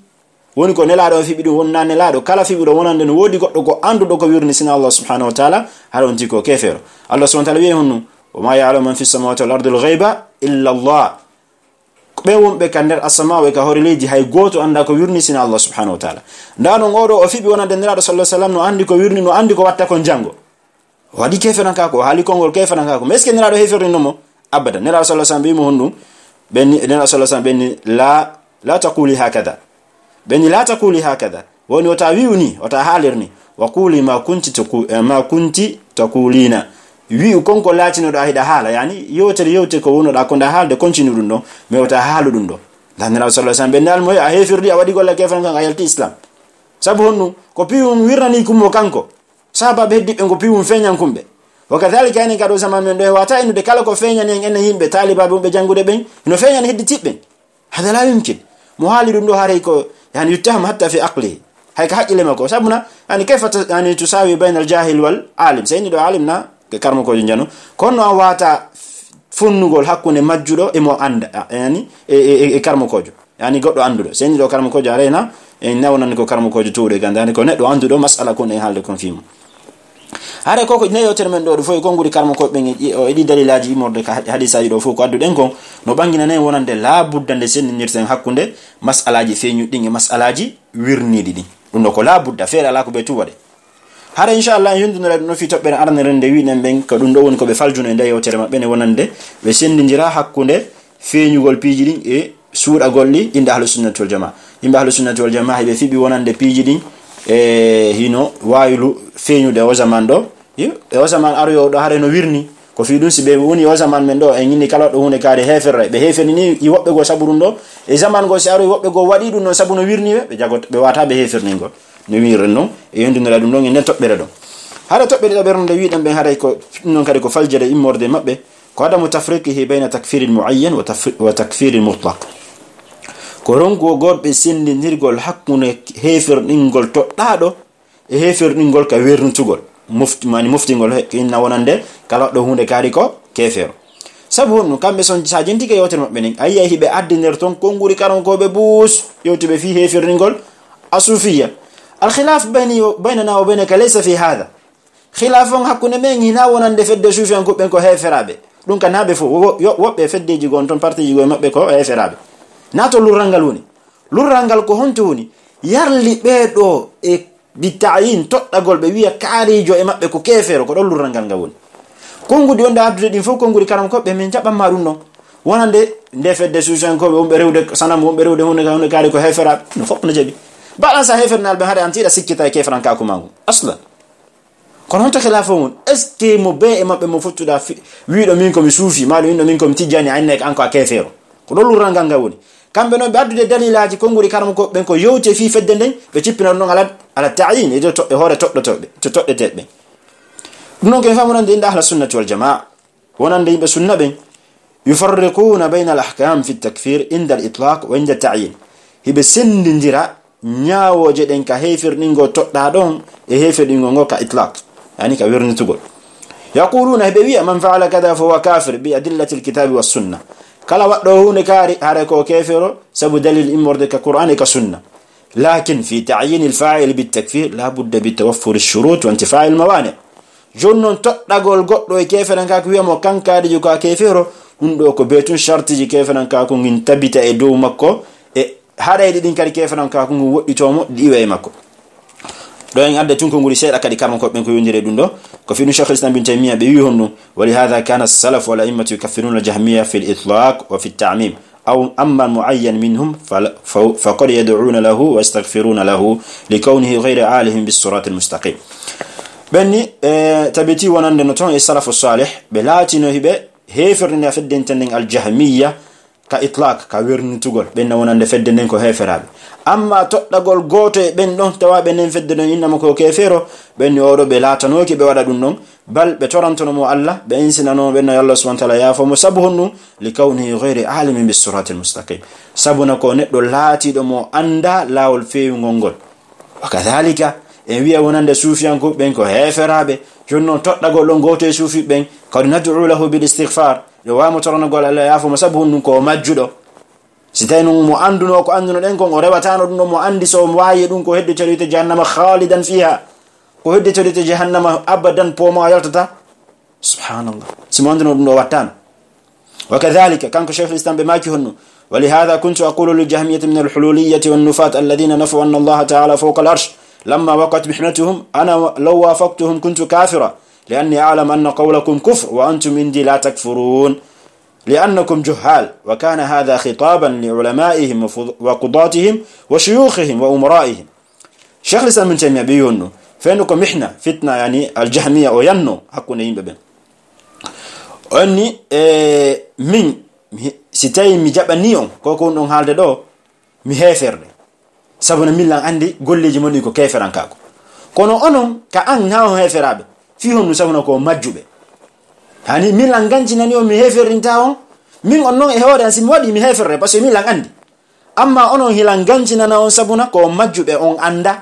woni ko nelaado fibido wonna nelaado kala fibido wonande no wodi goddo ko andudo ko wirni sina Allah subhanahu wa ta'ala haron tiko kefero Allah subhanahu wa ta'ala wi honno wa ma ya'lamu man fis samawati wal ardi al ghaiba illa Allah be wonbe kander asmaawe ka horileji hay goto anda ko wirni sina Allah subhanahu wa ta'ala ndano ngodo o fibi wonande nelaado sallallahu alaihi wasallam no andi ko wirni no andi ko watta kon jango wadi keferanka ko hali kongol keferanka ko meske nelaado heferino mo abada nelaado sallallahu alaihi wasallam bi mo honno ben nelaado sallallahu alaihi wasallam ben la la taquli hakada beni la taquli hakada woni wata wiuni wata halirni wa quli ma kunti taqu ma kunti taqulina wi konko latino do hida hala yani yotere yote ko wono da ko da halde continue dum do me wata halu dum do dan rasul sallallahu alaihi wasallam benal moy a hefirdi a wadi golla kefan kan ayalti islam sabu honnu ko piwum wirnani kummo kanko sahaba be dibbe ko piwum feñan kumbe wakadhalika en kado zaman men do wata inu de kala ko feñan en en himbe taliba be jangude ben no feñan heddi tibben hada la yumkin muhali dum do hare ko yani yuttaham hatta fi aqli hay ka hakile mako sabuna yani kayfa yani tusawi bayna al jahil wal alim sayni do alimna ke karmo ko jano kono wata funnugol hakkunde majjudo e mo anda yani e e karmo kojo yani goddo andudo sayni do karmo kojo arena en nawnan ko karmo kojo tuude gandani ko neddo andudo masala ko ne halde kon fimu hare koko ne yotere men do do foy gongudi karmo ko be o edi dalilaji imorde ka hadisaaji do fo ko addu den ko no bangina ne wonande la buddande sen nirten hakkunde masalaji feñu dinge masalaji wirnidi di dum ko la budda feera la ko be tuwade hare inshallah yundunore no fi tobbe arne rende wi nen ben ko dum do woni ko be faljuno e yotere mabbe ne wonande be sendindira hakkunde feñugol piiji din e suuda golli inde ahlus sunnah wal jamaa imbe ahlus sunnah wal jamaa be fibi wonande piiji din e hino waylu feñude o zaman do e o zaman aryo do hare no wirni ko fi dum sibe woni o zaman men do e nyini kala do hunde kaade heferre be hefeni ni i wobbe go saburun do e zaman go si aryo wobbe go wadi dum no sabu no wirni be jagot be wata be heferni go no wirno e yondinora dum don en tobbere do hare tobbere do bernde wiidam be hare ko non kadi ko faljere immorde mabbe ko adamu tafriqihi bayna takfir al muayyan wa takfir al mutlaq ko rongo gorbe sendinirgol hakkune heferdingol toddado e heferdingol ka wernutugol mufti mani muftingol inna wonande kala do hunde kaari ko kefero sabu no kambe son sajenti ke yotere mabbe nen ayya hibe addiner ton konguri karon ko be bus yotibe fi heferdingol asufiyya al khilaf bayni baynana wa baynaka laysa fi hada khilafon hakkune men hina wonande fedde sufiyan ko ben ko heferabe dum kan habe fo wobbe feddeji gon ton parti ji go mabbe ko heferabe nato lurangal woni lurangal ko honto woni yarli beedo e bitayin toddagol be wiya kaarijo e mabbe ko kefero ko don lurangal ngal woni kongudi wonda abdude din fo kongudi karam ko be men jabam ma dum non wonande nde fedde sujan ko be wombe rewde sanam wombe rewde hunde ka hunde kaari ko hefera no fop no jabi balansa hefernal be hade antida sikkita e kefran ka ko mangu asla kono honto khilafo mun est ce mo be e mabbe mo futtuda wiido min ko mi suufi maalo wiido min ko mi tijani anne anko a kefero ko don lurangal ngal woni kambe non be addude dalilaji konguri karam ko ben ko yewte fi fedde den be cippina non ala ala ta'yin e to e hore toddo todde to todde tedbe non ke famunande inda ahlus sunnah wal jamaa wonande yimbe sunna ben yufarriquna bayna al ahkam fi at takfir inda al itlaq wa inda at ta'yin hibe sendindira nyaawoje den ka hefirningo todda don e hefirningo ngo ka itlaq yani ka wernitugol yaquluna hibe wi man fa'ala kada fa huwa kafir bi adillati al kitab was sunnah kala waddo hunde kaari hare ko kefero sabu dalil immorde ka qur'an ka sunna lakin fi ta'yin al fa'il bit takfir la budda bi tawaffur al shurut wa intifa' al mawani' jonnon toddagol goddo e keferen ka ko wi'amo kankaade ju ka kefero dum do ko betun shartiji keferen ka ko ngin tabita e dow makko e hareede din kadi keferen ka ko ngu wodditomo diwe e makko do en adde tun ko nguri seeda kadi karmo ko ben ko yondire dum do ko fi Shaykh al-Islam bin Taymiyyah be wi honno wali hadha kana as-salaf wal a'immatu yukaffiruna al-jahmiyya fi al-itlaq wa fi at-ta'mim aw amma mu'ayyan minhum fa qad yad'una lahu wa yastaghfiruna lahu likawnihi ghayra alihim bis-sirat al-mustaqim benni tabiti wonande no ton e salaf as-salih be latino hibe hefirna fedden tenden al-jahmiyya ka itlaq ka wernutugol ben wonande fedde nen ko heferabe amma toddagol goto e ben don tawabe nen fedde don inna ko kefero ben yodo be latanoki be wada dum non bal be torantono mo Allah be insinano ben Allah subhanahu wa ta'ala ya fa musabhunu likawni ghayri alimin bis sirat al mustaqim sabuna ko neddo lati do mo anda lawol feewu ngongol wakadhalika en wi'a wonande sufiyan ko ben ko heferabe jonno toddagol don goto e sufi ben ko nad'u lahu bil istighfar yo wa mo torano gol Allah ya fa musabhunu ko majjudo sitayno mo anduno ko anduno den ko o rewatano dum mo andi so waayi dum ko hedde celite jahannama khalidan fiha ko hedde celite jahannama abadan poma yaltata subhanallah simo anduno dum do wattan wakadhalika kanko shaykh al-islam be maki honno ولهذا كنت أقول للجهمية من الحلولية والنفاة الذين نفوا أن الله تعالى فوق العرش لما وقعت محنتهم أنا لو وافقتهم كنت كافرا لأني أعلم أن قولكم كفر وأنتم عندي لا تكفرون لأنكم جهال وكان هذا خطابا لعلمائهم وقضاتهم وشيوخهم وأمرائهم. شيخ الإسلام ابن تيمية بيونو فإنكم إحنا فتنة يعني الجهمية وينو حقنا ينببن أني إيه من ستاي مجابنيون كوكو نون هالده دو مهفر سبنا ميلان عندي قول لي جموني كو كيفران كاكو كونو أنون كأن ناو هفرابه فيهم نسبنا كو مجوبه hani min la ganci nani o mi heferinta on min on non e hoore an simi wadi mi heferre parce que min la andi amma onon hilan ganci nana on sabuna ko majjube on anda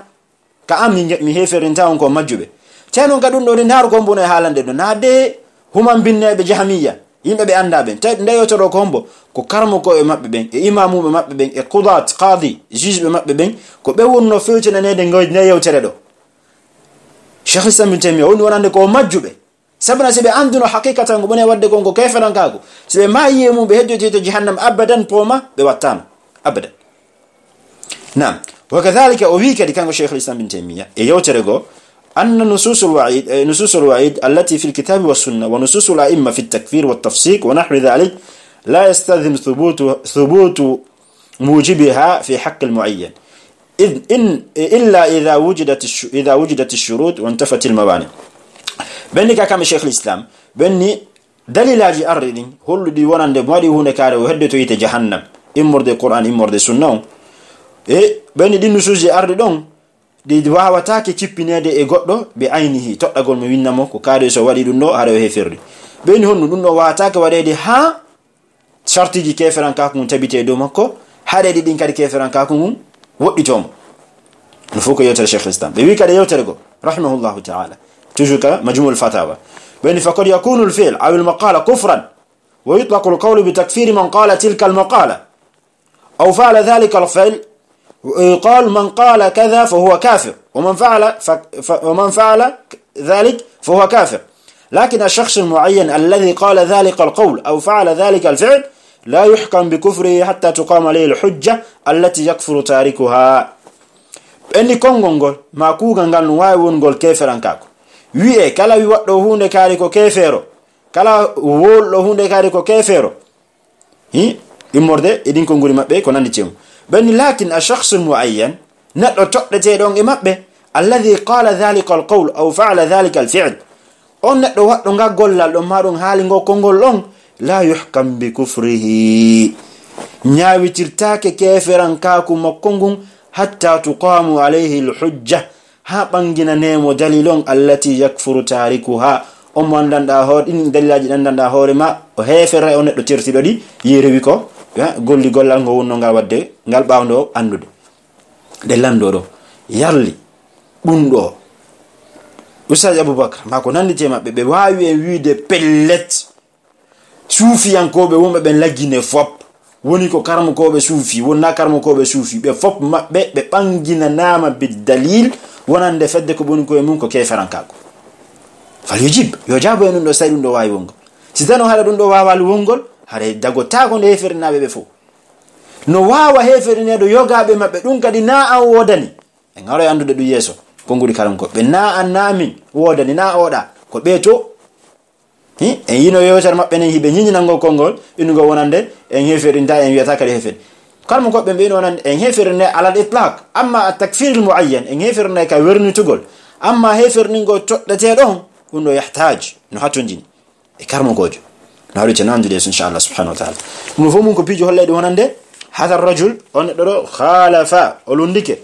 ka am mi heferinta on ko majjube teno gadun do ndar ko mbono e haalande do nade human binne be jahmiya yimbe be anda ben tay ndeyoto do ko hombo ko karmo ko e mabbe ben e imamu be mabbe ben e qudat qadi juge be mabbe ben ko be wonno fewtene nede ngoy ne yewtere do Sheikh Islam ibn Taymiyyah on wonande ko majjube sabna sebe anduno haqiqatan go bone wadde gongo kayfaran kago sebe mayiye mum be heddote to jahannam abadan poma be wattama abadan. Naam, wakadhalika ubika dikango Sheikh al-Islam ibn Taymiyyah e yawterego anna nusus al-wa'id nusus al-wa'id allati fi al-kitab wa sunnah wa nusus al-a'imma fi at-takfir wa at-tafsiq wa nahwi dhalik la yastadhim thubutu thubutu mujibiha fi haqq al-mu'ayyan إذ إن إلا إذا وجدت إذا وجدت الشروط وانتفت الموانع. بني كما شيخ الإسلام بني دليل أجي أردين هو دي ونان دي مالي هو نكاره وهدته يت جهنم إمور دي قرآن إمور دي سنة إيه بني دي نسوجي أردون دي دوا وتاكي تبيني دي إغوتو بعينه تقول موينامو كاره سو ودي دونو هارو هفيري بني هون دونو واتاكي ودي دي ها شرطي جي كيفران كاكم تبيتي دومكو هاري دي دين كاري كيفران كاكم وديتوم نفوك يوتر شيخ الإسلام بيبي كده يوترغو رحمه الله تعالى تجوك مجموع الفتاوى بأن فقد يكون الفعل أو المقالة كفرا ويطلق القول بتكفير من قال تلك المقالة أو فعل ذلك الفعل ويقال من قال كذا فهو كافر ومن فعل ف... ف... ومن فعل ذلك فهو كافر. لكن الشخص المعين الذي قال ذلك القول أو فعل ذلك الفعل لا يحكم بكفره حتى تقام عليه الحجة التي يكفر تاركها. أني كونغول ما كوغانغال نواي ونغول كافران كاكو wi'e kala wi waddo hunde kaari ko kefero kala woldo hunde kaari ko kefero hi immorde edin ko nguri mabbe ko nandi cem ben lakin ash-shakhs al-mu'ayyan naddo toddete don e mabbe alladhi qala dhalika al-qawl aw fa'ala dhalika al-fi'l on naddo waddo nga gollal do madon haali ngo kongol don la yuhkam bi kufrihi nyaawitirtaake keferan kaaku makkongun hatta tuqamu alayhi al-hujjah ha bangina nemo dalilon allati yakfuru tarikuha o mandanda hor in dalilaji dandanda hore ma o hefere on neddo tirtido di yerewi ko golli gollal ngo wonno ngal wadde ngal bawndo andude de lando do yarli bundo Ustaz Abubakar mako nandite mabbe be wawi en wiide pellet sufiyankobe wonbe ben laggine fop woni ko karmo ko be sufi wonna karmo ko be sufi be fop mabbe be bangina nama bid dalil wonande fedde ko boni ko e mun ko keferan kako fal yujib yo jabo en do say dum do wawi wongol si tano hala dum do waawal wongol hare dago tago de hefernaabe be fo no waawa heferne do yogabe mabbe dum kadi na an wodani en haro andude du yeso ko nguri karam ko be na an namin wodani na oda ko beto hi en yino yotar mabbe ne hibe nyinango kongol inugo wonande en heferinta en wiata kadi hefen kalmo ko be beno nan en heferne ala al-itlaq amma at-takfir al-muayyan en heferne ka werni tugol amma heferne go toddate don uno yahtaj no hatonjini e karmo gojo na ru tanandu des inshallah subhanahu wa ta'ala mo fomu ko pijo hollede wonande hadha ar-rajul on do khalafa olundike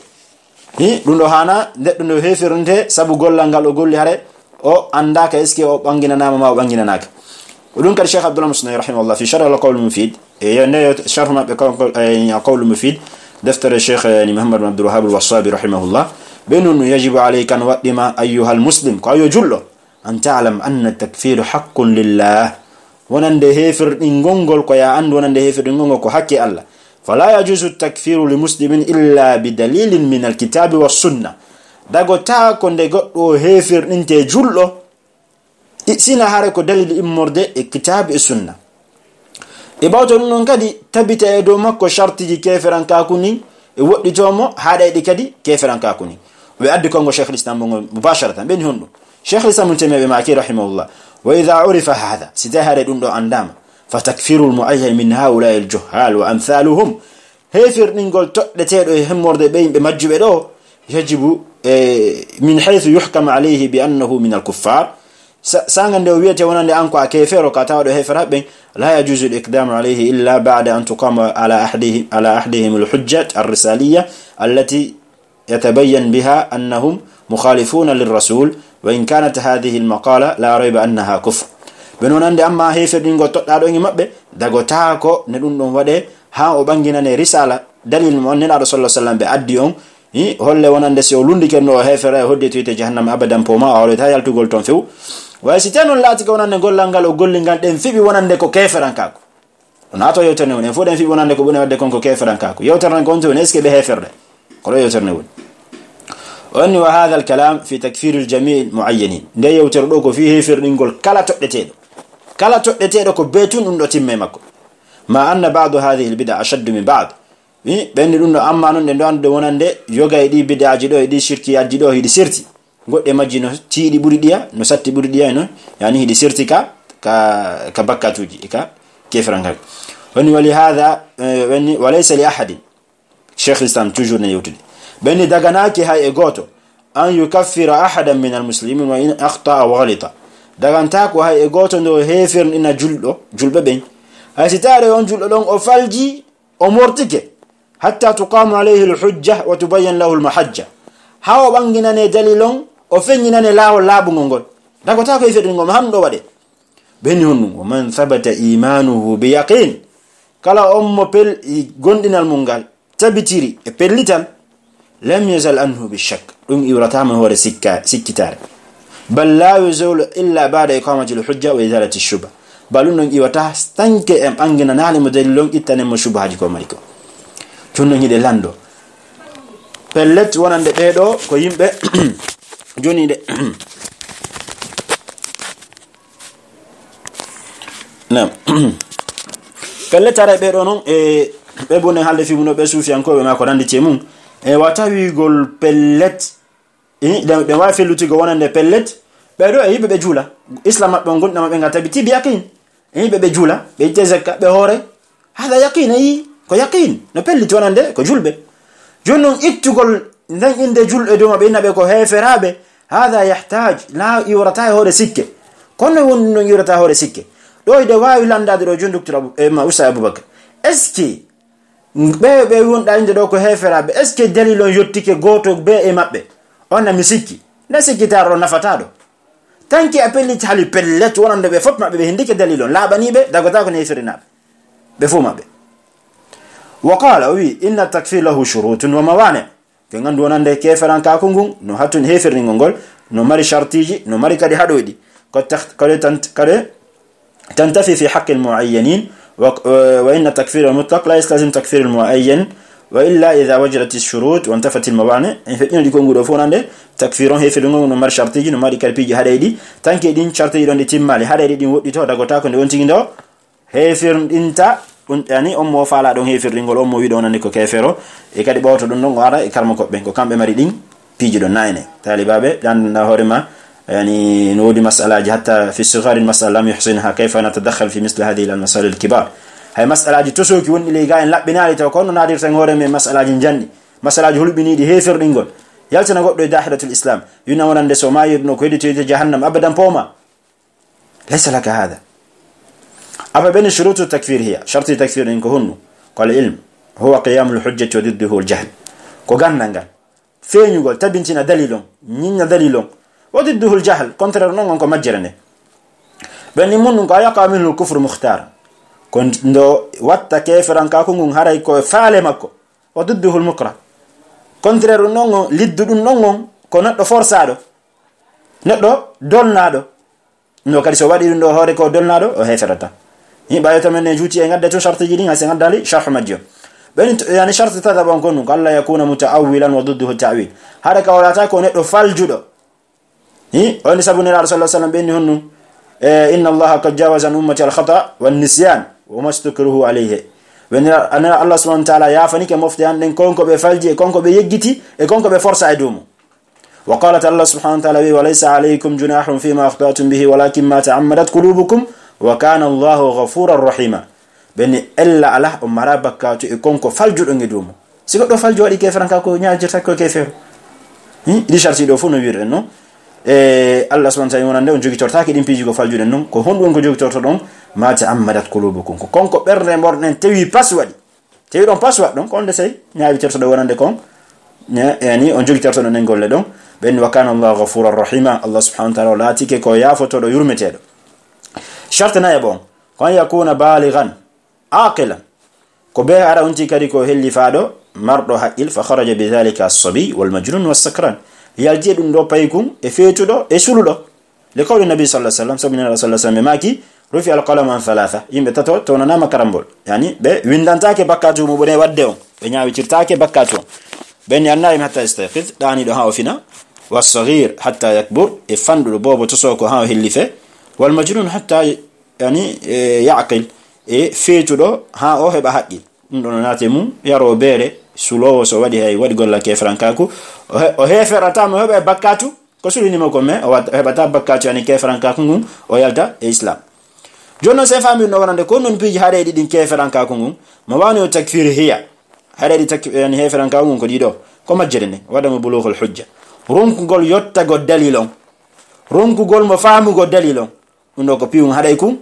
hi dundo hana neddo no hefernde sabu gollal gal o golli hare o andaka eske o bangina nama ma o bangina naka ودون كان الشيخ عبد الله المصنعي رحمه الله في شرح القول المفيد يعني شرح ما قول المفيد دفتر الشيخ يعني محمد بن عبد الوهاب الوصابي رحمه الله بأنه يجب عليك أن وقدم أيها المسلم قال يجله أن تعلم أن التكفير حق لله وننده هفر إنغنغل قيا عند وننده هفر إنغنغل حق الله فلا يجوز التكفير لمسلم إلا بدليل من الكتاب والسنة داغو تا كونde goddo هفر ننته جله sina hare ko dalil immorde e kitab e sunna e bawto non kadi tabita e do makko shartiji keferan kakuni e wodditomo haada e kadi keferan kakuni we addi kongo Sheikh al-Islam mubasharatan ben hondo Sheikh al-Islam Taymiyyah ma ki rahimahullah wa idha urifa hadha sita hare dum do andama فتكفير المعين من هؤلاء الجهال وأمثالهم هيفر نقول تؤدتيدو همورد بين بمجب دو يجب من حيث يحكم عليه بأنه من الكفار سانغان دو ويتي ونان أنكو أكيفيرو كاتاودو هيفر بين لا يجوز الإقدام عليه إلا بعد أن تقام على أحدهم على أحدهم الحجة الرسالية التي يتبين بها أنهم مخالفون للرسول وإن كانت هذه المقالة لا ريب أنها كفر بنونان أما هيفر نقول تؤدتو مبه داغو تاكو ندون دون ودي ha o banginane risala dalil mo nena rasulullah sallallahu alaihi wasallam be addi on hi holle wonande se o lundi kenno hefere hodde tuyte jahannam abadan poma o ta yaltugol ton few way si tanon lati ko wonande gollal ngal o gollingal den fibi wonande ko keferan kako on ato yewterne won en foden fibi wonande ko bone wadde kon ko keferan kako yewterne kon to eske be heferde ko yewterne won on wa hadha al kalam fi takfir al jami' al muayyanin nde yewtere do ko fi heferdingol kala toddetedo kala toddetedo ko betun dum do timme makko ما أن بعض هذه البدع أشد من بعض بين دون أما نون دون دونande yoga idi bid'a jido idi shirki ajido idi sirti godde majino tiidi buri dia no satti buri dia no yani idi sirti ka ka ka bakatuji ka kefranga woni wali hada woni walaysa li ahad shaykh islam toujours ne yutudi ben daganaki hay e goto an yukaffira ahadan min almuslimin wa in akhta wa ghalita daganta ko hay e goto ndo hefer ina juldo julbe ben asitare on juldo don o falji o mortike hatta tuqamu alayhi alhujja wa tubayyan lahu almahajja hawo banginane dalilon o fenyinane lawo labu ngol dago ta ko ifedin ngom hamdo wade beni honnu man thabata imanuhu bi yaqin kala ummo pel gondinal mungal tabitiri e pellital lam yazal anhu bi shakk dum iwratama hore sikka sikkitare bal la yuzul illa ba'da iqamati alhujja wa izalati ash-shubha balun iwata stanke em angina nale mo dalilon ittane mo shubhaji ko mariko tunno hide lando pellet wonande beedo ko yimbe joni de nam pellet ara beedo non e be bonen halde fi muno be sufian ko be ma ko randi cemum e watawi gol pellet e be wa feluti go wonande pellet beedo e yimbe be jula islam mabbe gonda mabbe ngata bi tibi yakin e yimbe be jula be tezaka be hore hada yaqin ay ko yaqin no pellit wonande ko julbe jonnon ittugol ndan inde julbe do mabbe nabe ko heferabe hada yahtaj la yurata hore sikke kono wonno yurata hore sikke do ide waawi landade do jonduktura e ma usa abubakar eski be be wonda inde do ko heferabe eski dalilon yottike goto be e mabbe onna misikki na sikkitaro nafatado tanki appellit hali pellet wonande be fop mabbe be hindike dalilon labanibe dagota ko neferinabe be fu mabbe وقال وي ان التكفير له شروط وموانع كان دونande keferan ka kungun no hatun heferni ngol no mari shartiji no mari kadi hadoidi ko kale tant kale تنتفي في حق المعينين وان التكفير المطلق لا يستلزم تكفير المعين والا اذا وجدت الشروط وانتفت الموانع فين دي كونغو فونande takfiron heferni ngol no mari shartiji no mari kalpiji hadoidi tanke din shartiji don timmali hadoidi din woddi to dagota ko de wonti ndo hefirndinta yani on mo faala don hefirringol on mo wi don nani ko kefero e kadi bawto don non wara e karma ko ben ko kambe mari din piiji don nayne talibabe dan na horema yani nodi mas'alaji hatta fi sighar al-mas'ala lam yuhsinha kayfa natadakhal fi misl hadhihi al-masail al-kibar hay mas'alaji tosoki woni le ga en labbinaali taw kono nadir tan horeme mas'alaji janni mas'alaji hulbini di hefirdingol yaltana goddo e dahiratul islam yuna wonande so mayirno ko hedito jahannam abadan poma laysa laka hada أما بين شروط التكفير هي شرط التكفير إنك هنو قال العلم هو قيام الحجة وضده الجهل كوغان نانغان فين يقول تبنتنا دليلون نينا دليلون وضده الجهل كونتر نون كو ماجرني بين من كو يقع منه الكفر مختار كنت ندو واتا كيفران كاكون هاراي كو فالي ماكو وضده المكره كونتر نون ليدو نون كو ندو فورسادو ندو دولنادو no kadi so wadi ndo hore ko dolnado o heferata himba yata men juuti e ngadde to sharti jini ngase ngaddali sharh majjo ben yani sharti tada bon konu alla yakuna mutaawilan wa dudduhu ta'wil hada ka wala ta ko neddo faljudo hi on sabuna rasul sallallahu alaihi wasallam ben honnu inna allaha qad jawaza an ummati al khata wan nisyan wa mastakruhu alayhi ben ana allah subhanahu wa ta'ala ya fanike mofti an den konko be falji e konko be yeggiti e konko be forsa e dumu وقالت الله سبحانه وتعالى وليس عليكم جناح فيما أخطأتم به ولكن ما تعمدت قلوبكم wa kana Allahu ghafurar rahima beni ella ala o mara bakkatu e konko faljudo ngedumo siko do faljo wadi keferanka ko nyaajirta ko kefero hi di sharti do fu no wirre no e Allah subhanahu wa ta'ala wonande on jogi tortaaki din piji go faljude non ko hondu ko jogi torto don ma ta'ammadat qulubukum ko konko berde morden tewi pas wadi tewi don pas wad don ko onde sey nyaawi torto do wonande kon yani on jogi torto non golle don ben wa kana Allahu ghafurur rahima Allah subhanahu wa ta'ala latike ko yafoto do yurmetedo shartana e bon kon yakuna balighan aqilan ko be ara onti kadi ko helli faado mardo haqqil fa kharaja bi dhalika as-sabi wal majnun was sakran yalti dum do paykum e fetudo e suludo le qawli nabi sallallahu alaihi wasallam sabina rasulullah sallallahu alaihi wasallam maki rufi al-qalam an thalatha yimbe tato to nana makarambol yani be windantake bakkatu mo bone wadde on be nyaawi cirtaake bakkatu ben yannaim hatta istaqiz dani do hawo fina was-saghir hatta yakbur e fandu bobo to soko hawo hellife wal majnun hatta yani yaqil e fetudo ha o heba haqqi dum don naate mum yaro bere sulowo so wadi hay wadi golla ke frankaku o heferata mo heba bakkatu ko sulini mo ko me o hebata bakkatu yani ke frankaku ngum o yalta e islam jonno se fami no wonande ko non piji haade di din ke frankaku ngum mo wani o takfir hiya haade di takfir yani he frankaku ngum ko dido ko majjere ne wada mo bulughul hujja ronku gol yotta go dalilon ronku gol mo faamu go dalilon ndo ko piwum haade ku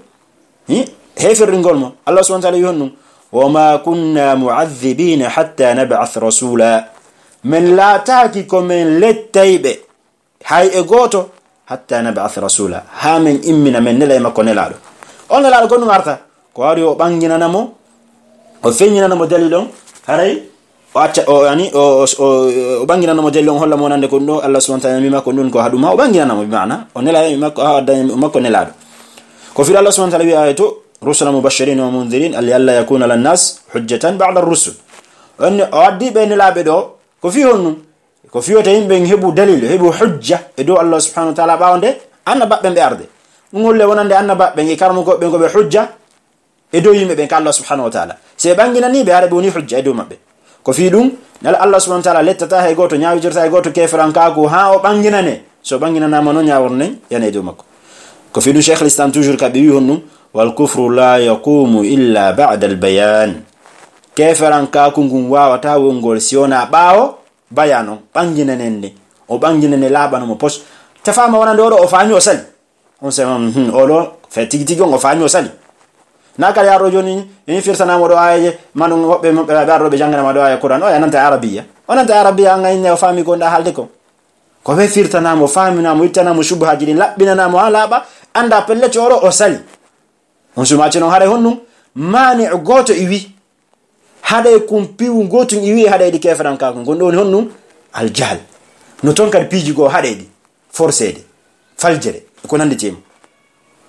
hi heferringol mo Allah subhanahu wa ta'ala yonnu wama kunna mu'adhibina hatta nab'ath rasula min la taqikum min lataybe hay e goto hatta nab'ath rasula ha min immina min nela makko nelado on nelado gonu marta ko wari o bangina namo o fenyina namo dalilon haray o acca o yani o o bangina namo dalilon holla mo nande ko do Allah subhanahu wa ta'ala mi makko dun ko haduma o bangina namo bi maana o nela makko ha makko nelado ko fi Allah subhanahu wa ta'ala wi ayatu رسلا مبشرين ومنذرين اللي الا يكون للناس حجه بعد الرسل ان اودي بين لابدو كو فيون كو فيو تايم بن هبو دليل هبو حجه ادو الله سبحانه وتعالى باونde anna babbe be arde ngolle wonande anna babbe ngi karmo go be go be hujja edo yimbe be Allah subhanahu wa ta'ala se bangina ni be arbe woni hujja edo mabbe ko fi dum nal Allah subhanahu wa ta'ala lettata hay goto nyaawi jirta hay goto kefran kaako ha o bangina ne so bangina na mano nyaaworne yana edo makko ko fi dum Sheikh al-Islam toujours ka be wi honnu والكفر لا يقوم إلا بعد البيان كيفران كاكونغون واوتا وونغول سيونا باو بيانو بانجيننني او بانجينني لابانو مو بوس تفاما ونان دورو او فاني وسالي on se hmm olo fe tigi tigi on faaño sali naka ya ro joni ni firsana mo do aye manu hobbe be darro be jangana ma do aye Qur'an o ya nanta arabiya onanta arabiya ngay ne o faami ko nda halde ko ko be firtana mo faamina mo ittana mo subha jini labbina na mo halaba anda pelle coro o sali on suma ci non hare honnu mani goto iwi hade kumpiwu goto iwi hade di kefran ka ko gondo honnu al jahl no ton kad piji go hade di forcede faljere ko nande tim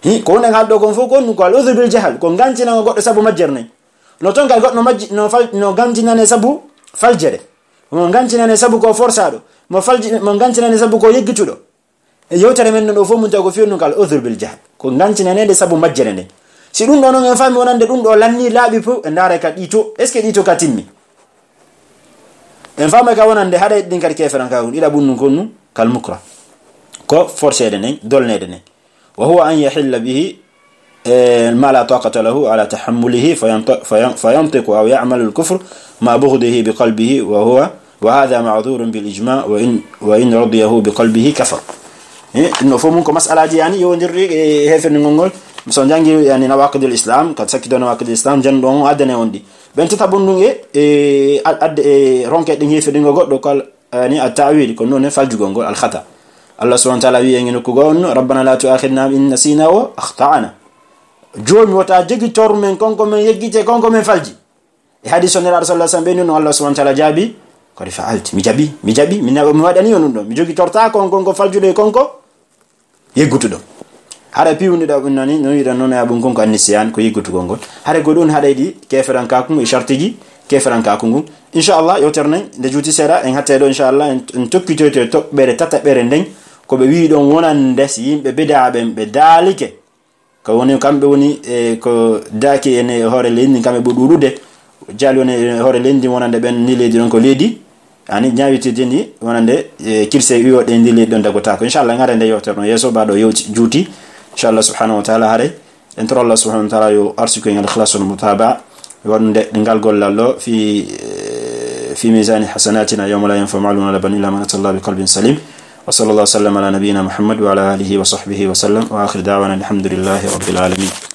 hi ko non haldo gon fo gonnu ko al udhur bil jahl ko gantina goddo sabu majjerne no ton kad goddo majji no fal no gantina ne sabu faljere mo gantina ne sabu ko forsado mo falji mo gantina ne sabu ko yeggitudo e yewtere men no fo mun tago fionu kal udhur bil jahl ko gantina ne de sabu majjere ne si dum do non en fami wonande dum do lanni laabi fu e ndare ka dito est ce que dito ka timmi en fami ka wonande hada din kadi keferan ka ida bunnu konnu kal mukra ko forcede nen dolnede nen wa huwa an yahilla bihi ma la taqata lahu ala tahammulihi fayantiqu aw ya'mal al-kufr ma bughdihi biqalbihi wa huwa wa hadha ma'dhur bil ijma' wa in wa in radiyahu biqalbihi kafar no fomun ko mas'alaji yani yondirri hefen ngol so jangi yani nawaqid al-islam kad sakido nawaqid al-islam jandon adane ondi ben tata bondunge e adde ronke de ngefe dingo goddo kal ni at-ta'wil ko non faljugo ngol al-khata Allah subhanahu wa ta'ala wi ngene ko gon rabbana la tu'akhidna in nasina wa akhtana jomi wata jegi tormen konko men yeggite konko men falji e hadith on rasul sallallahu alaihi wasallam Allah subhanahu wa ta'ala jabi ko di fa'alti mi jabi mi jabi mi mi wadani on do mi jogi torta konko konko faljude konko yeggutudo hare piwni da nani no yida non abun konko annisiyan ko yeggutu gongol hare go don hade di keferan kakum e shartiji keferan kakum inshallah yoterne de juti sera en hatte do inshallah en tokkito to bere tata bere den ko be wi don wonande si yimbe bidaabe be dalike ko woni kambe woni e ko daaki ene hore lendi kambe budurude jali woni hore lendi wonande ben ni leedi don ko leedi ani nyaawiti dendi wonande kirse wiwo de ndi leedi don dago ta ko inshallah ngare nde yoterno yeso baado yoti juuti inshallah subhanahu wa ta'ala hare انتر الله سبحانه وتعالى يو أرسكين الإخلاص والمتابعة ونقال قول الله في في ميزان حسناتنا يوم لا ينفع مال ولا بنون إلا من أتى الله بقلب سليم. وصلى الله وسلم على نبينا محمد وعلى آله وصحبه وسلم، وآخر دعوانا الحمد لله رب العالمين.